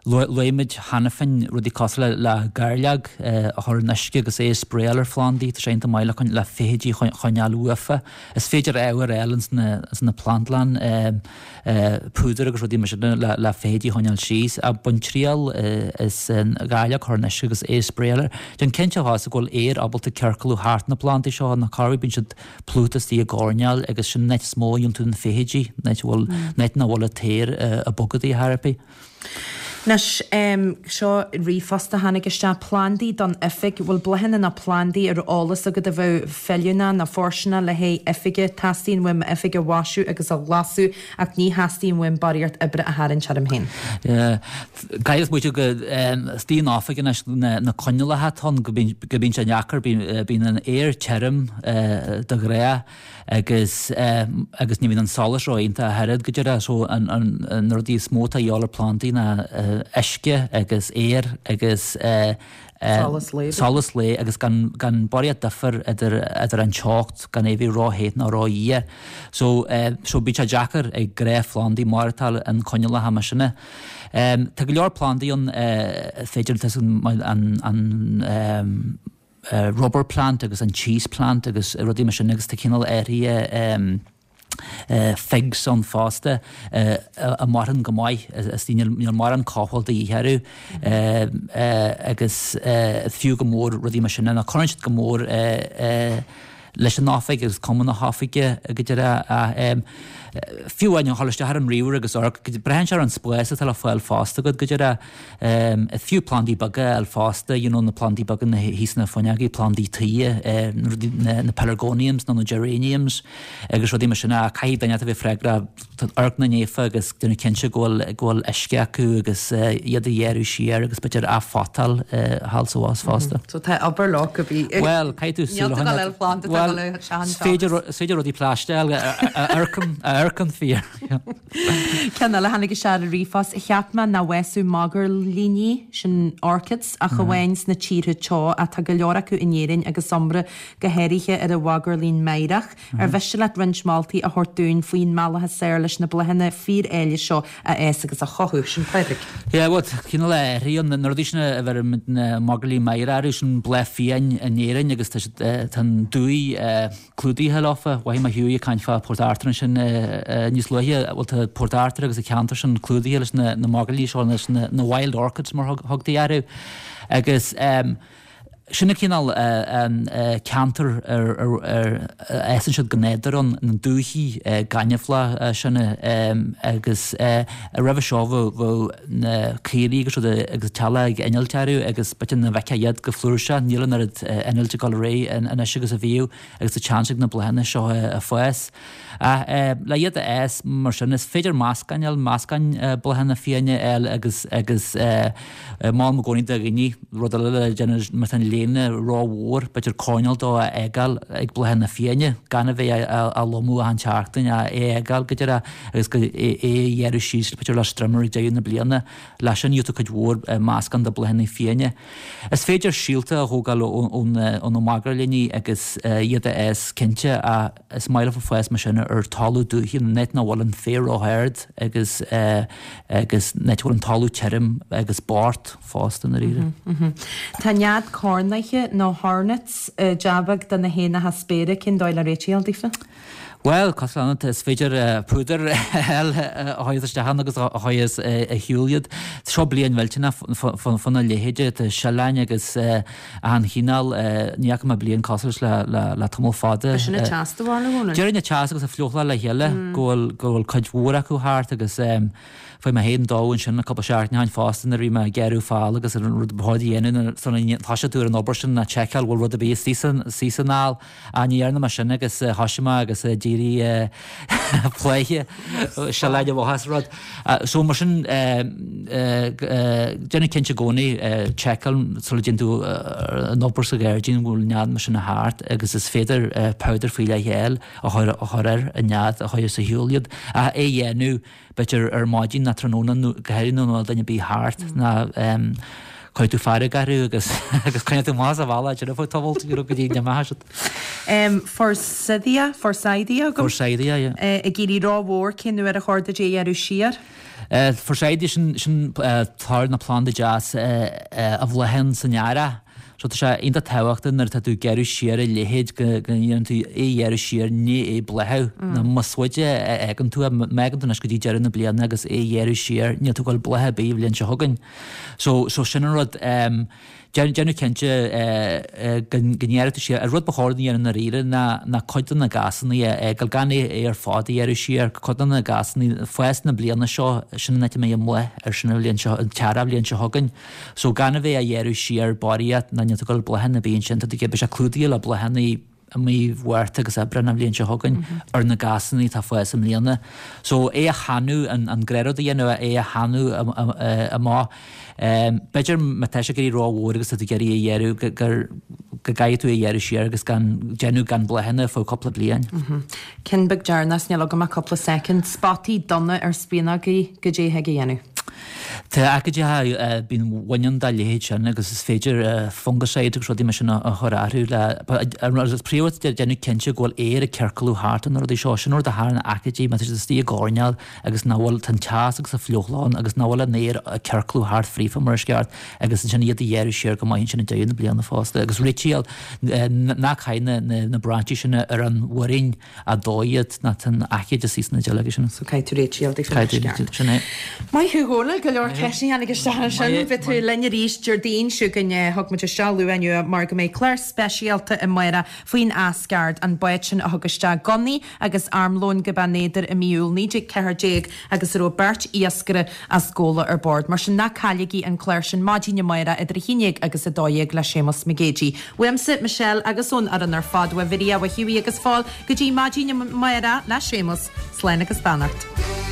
Luaigh muid cheana féin rudaí cosúil le gairleog a chur in uisce agus é a spraeáil ar phlandaí, tá sé iontach maith le le feithidí a choinneáil uafa. Is féidir ábhair a fháil ins na plandlann, púdar agus rudaí mar sin le feithidí a choinneáil síos. Ach bain triail as an ghairleog a chur in uisce agus é a spraeáil air. Déan cinnte fosta go bhfuil aer ábalta ciorclú thart na plandaí seo, nó corruair bíonn siad plúchta istigh i gcoirnéal agus sin an áit is mó a gheobhann tú na feithidí, an áit a bhfuil, an áit nach bhfuil an t-aer ag bogadh ar chor ar bith. Anois, seo ríomhphost a tháinig isteach, plandaí don oifig, bhfuil bláthanna nó plandaí ar eolas agat a bheadh feiliúnach nó fóirsteanach le haghaidh oifige? Teastaíonn uaim m'oifig a mhaisiú agus a ghlasú ach ní theastaíonn uaim barraíocht oibre a tharraingt orm féin. Caithfidh smaoitiú go istigh in oifig anois na coinníollacha atá ann go mbíonn sé deacair, bíonn an aer tirim de ghnáth agus agus ní bhíonn an solas ró-iontach ach oiread go deireadh so an na rudaí is mó atá a dhíobháil ar plandaí ná uisce agus aer agus Solas lae. solas lae agus gan gan barraíocht difear idir idir an teocht gan é bheith ró-the ná ró-fhuar. So so bíonn sé deacair ag gnáthphlandaí maireachtáil in coinníollacha mar sin. Tá go leor plandaí ann féidir an an rubber plant agus an cheese plant agus rudaí mar sin agus tá cineál áirithe figs ann fosta a mhaireann go maith is níl mórán cothabháil de dhíth orthu agus fiú go mór rudaí mar sin nó cuireann siad go mór leis an oifig agus cuma na hoifige go deireadh. Fiú amháin dhul isteach ar an ríomhaire agus amharc, braitheann sé ar an spás atá le fáil fosta agat go deireadh. Fiú plandaí beaga a fháil fosta, you know na plandaí beaga na thíos sna fuinneogaí, plandaí tuí, na pelargoniums nó na geraniums agus rudaí mar sin ach caithfidh duine a bheith freagrach amharc ina ndiaidh agus déanamh cinnte go bhfuil go bhfuil uisce acu agus iad a ghearradh siar agus b'fhéidir athphotáil thall is abhus fosta. So tá obair leo cibé. Bhuel, caithfidh tú súil a choinneáil. Bhuel, is féidir is féidir rudaí plaisteach a amharcann a amharcann fíor. Ceann eile a tháinig isteach ar an ríomhphost, cheap mé nach bhfásadh magairlíní, sin orchids, ach amháin sna tíortha teo ach tá go leor acu in Éirinn agus iomrá go háirithe ar an mhagairlín meidhreach. Ar mhiste leat roinnt moltaí a thabhairt dúinn faoin mbealach is fearr leis na bláthanna fíor-áille seo a fhás agus a chothú? Sin Pádraig. Yeah, bhuel, cineál athraíonn na rudaí sin a bheirimid na magairlín meidhreach orthu, sin bláth fiáin in Éirinn agus tá siad, tá an dúiche clúdaithe leofa. Mhothaigh mé Hughie ag caint fá Port Arthur ansin níos luaithe, bhuel tá Port Arthur agus an ceantar sin clúdaithe leis na magairlí seo, leis na wild orchids mar thugtaí orthu. Agus Sin an cineál ceantar ar fhásann siad go nádúrtha ann, na dúichí gaineamhlacha sin agus roimhe seo bheadh na caoirigh agus rudaí agus teaghlaigh ag innilt orthu agus b'fhéidir nach bhfeicfeá iad go flúirseach, níl an oiread innilt ag dul ar aghaidh anois agus a bhíodh agus tá seans ag na bláthanna seo a fás. Ach le iad a fhás mar sin, is féidir meascán a fháil, meascán bláthanna fiáine a fháil agus agus molaim i gcónaí do dhaoine rud eile le déanamh má tá an. léine rómhór, b'fhéidir coirnéal dó a fhágáil ag bláthanna fiáine, gan a bheith á lomú achan tseachtain, ach é a fhágáil go díreach agus go é a ghearradh síos b'fhéidir le strimmer ag deireadh na bliana. Leis sin gheobhaidh tú cuid mhór meascán de bláthanna fiáine. Is féidir síolta a thógáil ó na magairlíní agus iad a fhás cinnte ach is maith leofa fás mar sin ar talamh dúiche, in áit nach bhfuil an féar ró-ard agus agus in áit a bhfuil an talamh tirim agus bocht fosta i ndáiríre. Tá nead cornaithe nó hornets jab beag do na héanacha spéire, cén dóigh le réiteach a fháil daofa? Bhuel, cosúil le is féidir púdar a chur isteach ann agus a chur ar shiúl iad. Seo bliain mhillteanach fána leithéide, tá sileáin agus achan chineál, ní fhaca mé bliain cosúil leis le tamall fada. Sin an teas de bharr na gcónaí. Déarfainn an teas agus an fliuchláil le chéile go bhfuil go bhfuil cuid mhór acu thart agus fuair mé féin dó ansin le cúpla seachtain ó shin fosta nuair a bhí mé ag gearradh fál agus an rud ba chóir a dhéanamh nuair a thosaigh tú ar an obair sin ná tseiceáil bhfuil rud ar bith istigh san fhál. Ach ní dhearna mé sin agus thoisigh mé agus d'éirigh pléithe sileáin amach as rud. So mar sin déanamh cinnte i gcónaí tseiceáil sula dtéann tú an obair sa ghairdín go bhfuil nead mar sin thart agus is féidir powder faoi leith a fháil a chur ar an nead a chur ar shiúl iad. Ach é a dhéanamh b'fhéidir ar maidin ná tráthnóna nó go háirithe nuair nach bhfuil duine ar bith thart ná cuirfidh tú fearg orthu agus agus coinneoidh tú amach as an bhealach ansin ar feadh tamaill you know go dtí go n-imeoidh siad. Forsythia, Forsythia agam. Forsythia, yeah. Ag éirí rómhór, cén uair ar chóir duit é a ghearradh siar? Forsythia, sin sin toradh na planda deas a bhláthaíonn san earrach. So tá sé iontach tábhachtach nuair atá tú ag gearradh siar a leithéid go ndéanann tú é a ghearradh siar i ndiaidh é bláthú. Nó más faide a fhágann tú é, má fhágann tú anois go dtí deireadh na bliana agus é a ghearradh siar, níl tú ag dul bláth ar bith an bhliain seo chugainn. So, so sin an rud. Déanamh cinnte go ngearrfaidh tú siar. An rud ba chóir a dhéanamh i ndáiríre ná ná cuid de na gasanna a fhágáil, gan é é ar fad a ghearradh siar, cuid de na gasanna, fás na bliana seo, sin an áit a mbeidh an bláth ar sin an bhliain seo, an t-earrach bhliain seo chugainn. So gan a bheith á ghearradh siar barraíocht ná níl tú ag dul bláthanna ar bith ansin, tá tú ag, beidh sé clúdaithe le bláthanna i mí Mhárta agus Aibreán an bhliain seo chugainn ar na gasanna atá ag fás i mbliana. So é a theannadh, an gnáthrud a dhéanamh, é a theannadh amach. B'fhéidir má tá sé ag éirí rómhór agus tá tú ag iarraidh é a ghearradh gur, go gcaithfidh tú é a ghearradh siar agus gan, déanamh gan bláthanna ar feadh cúpla bliain. Ceann beag deireanach, níl agam ach cúpla soicind. Spotaí donna ar spíonógaí, goidé a thig a dhéanamh? Tá aicídeacha, bíonn baineann dá leithéid sin agus is féidir fungicide agus rudaí mar sin a chur orthu le, agus príomhrud déanamh cinnte go bhfuil aer ag ciorclú thart ar na rudaí seo, sin rud a tharlaíonn aicídí má tá siad istigh i gcoirnéal agus nach bhfuil, tá an teas agus an fliuchladh ann agus nach bhfuil an aer ag ciorclú thart fríofa mar is ceart agus ansin iad a ghearradh siar go maith ansin ag deireadh na bliana fosta agus réitíl, ná caith na brainsí sin ar an mhuirín. Dóigh iad ná tá an aicíd istigh sna duilleoga sin. So caithfidh tú réitigh daofa mar is ceart. Sin é. Maith thú Dhónaill, go leor ceisteanna a tháinig isteach ansin. Beidh tú linn arís Déardaoin seo chugainn. Thug muid isteach luath inniu mar go mbeidh clár speisialta amárach faoin Asgard, an bád sin a thug isteach gunnaí agus armlón go Beann Éadair i mí Iúil 1914 agus a raibh beirt iascaire as Gabhla ar bord. Mar sin ná cailligí an clár sin maidin amárach idir 11 agus 12 le Séamus Mac Géidigh. Uaimse, Michelle agus ón fhoireann ar fad, uaidh Mhiria, uaidh Hughie agus Phól, go dtí maidin amárach le Séamus. Slán agus beannacht.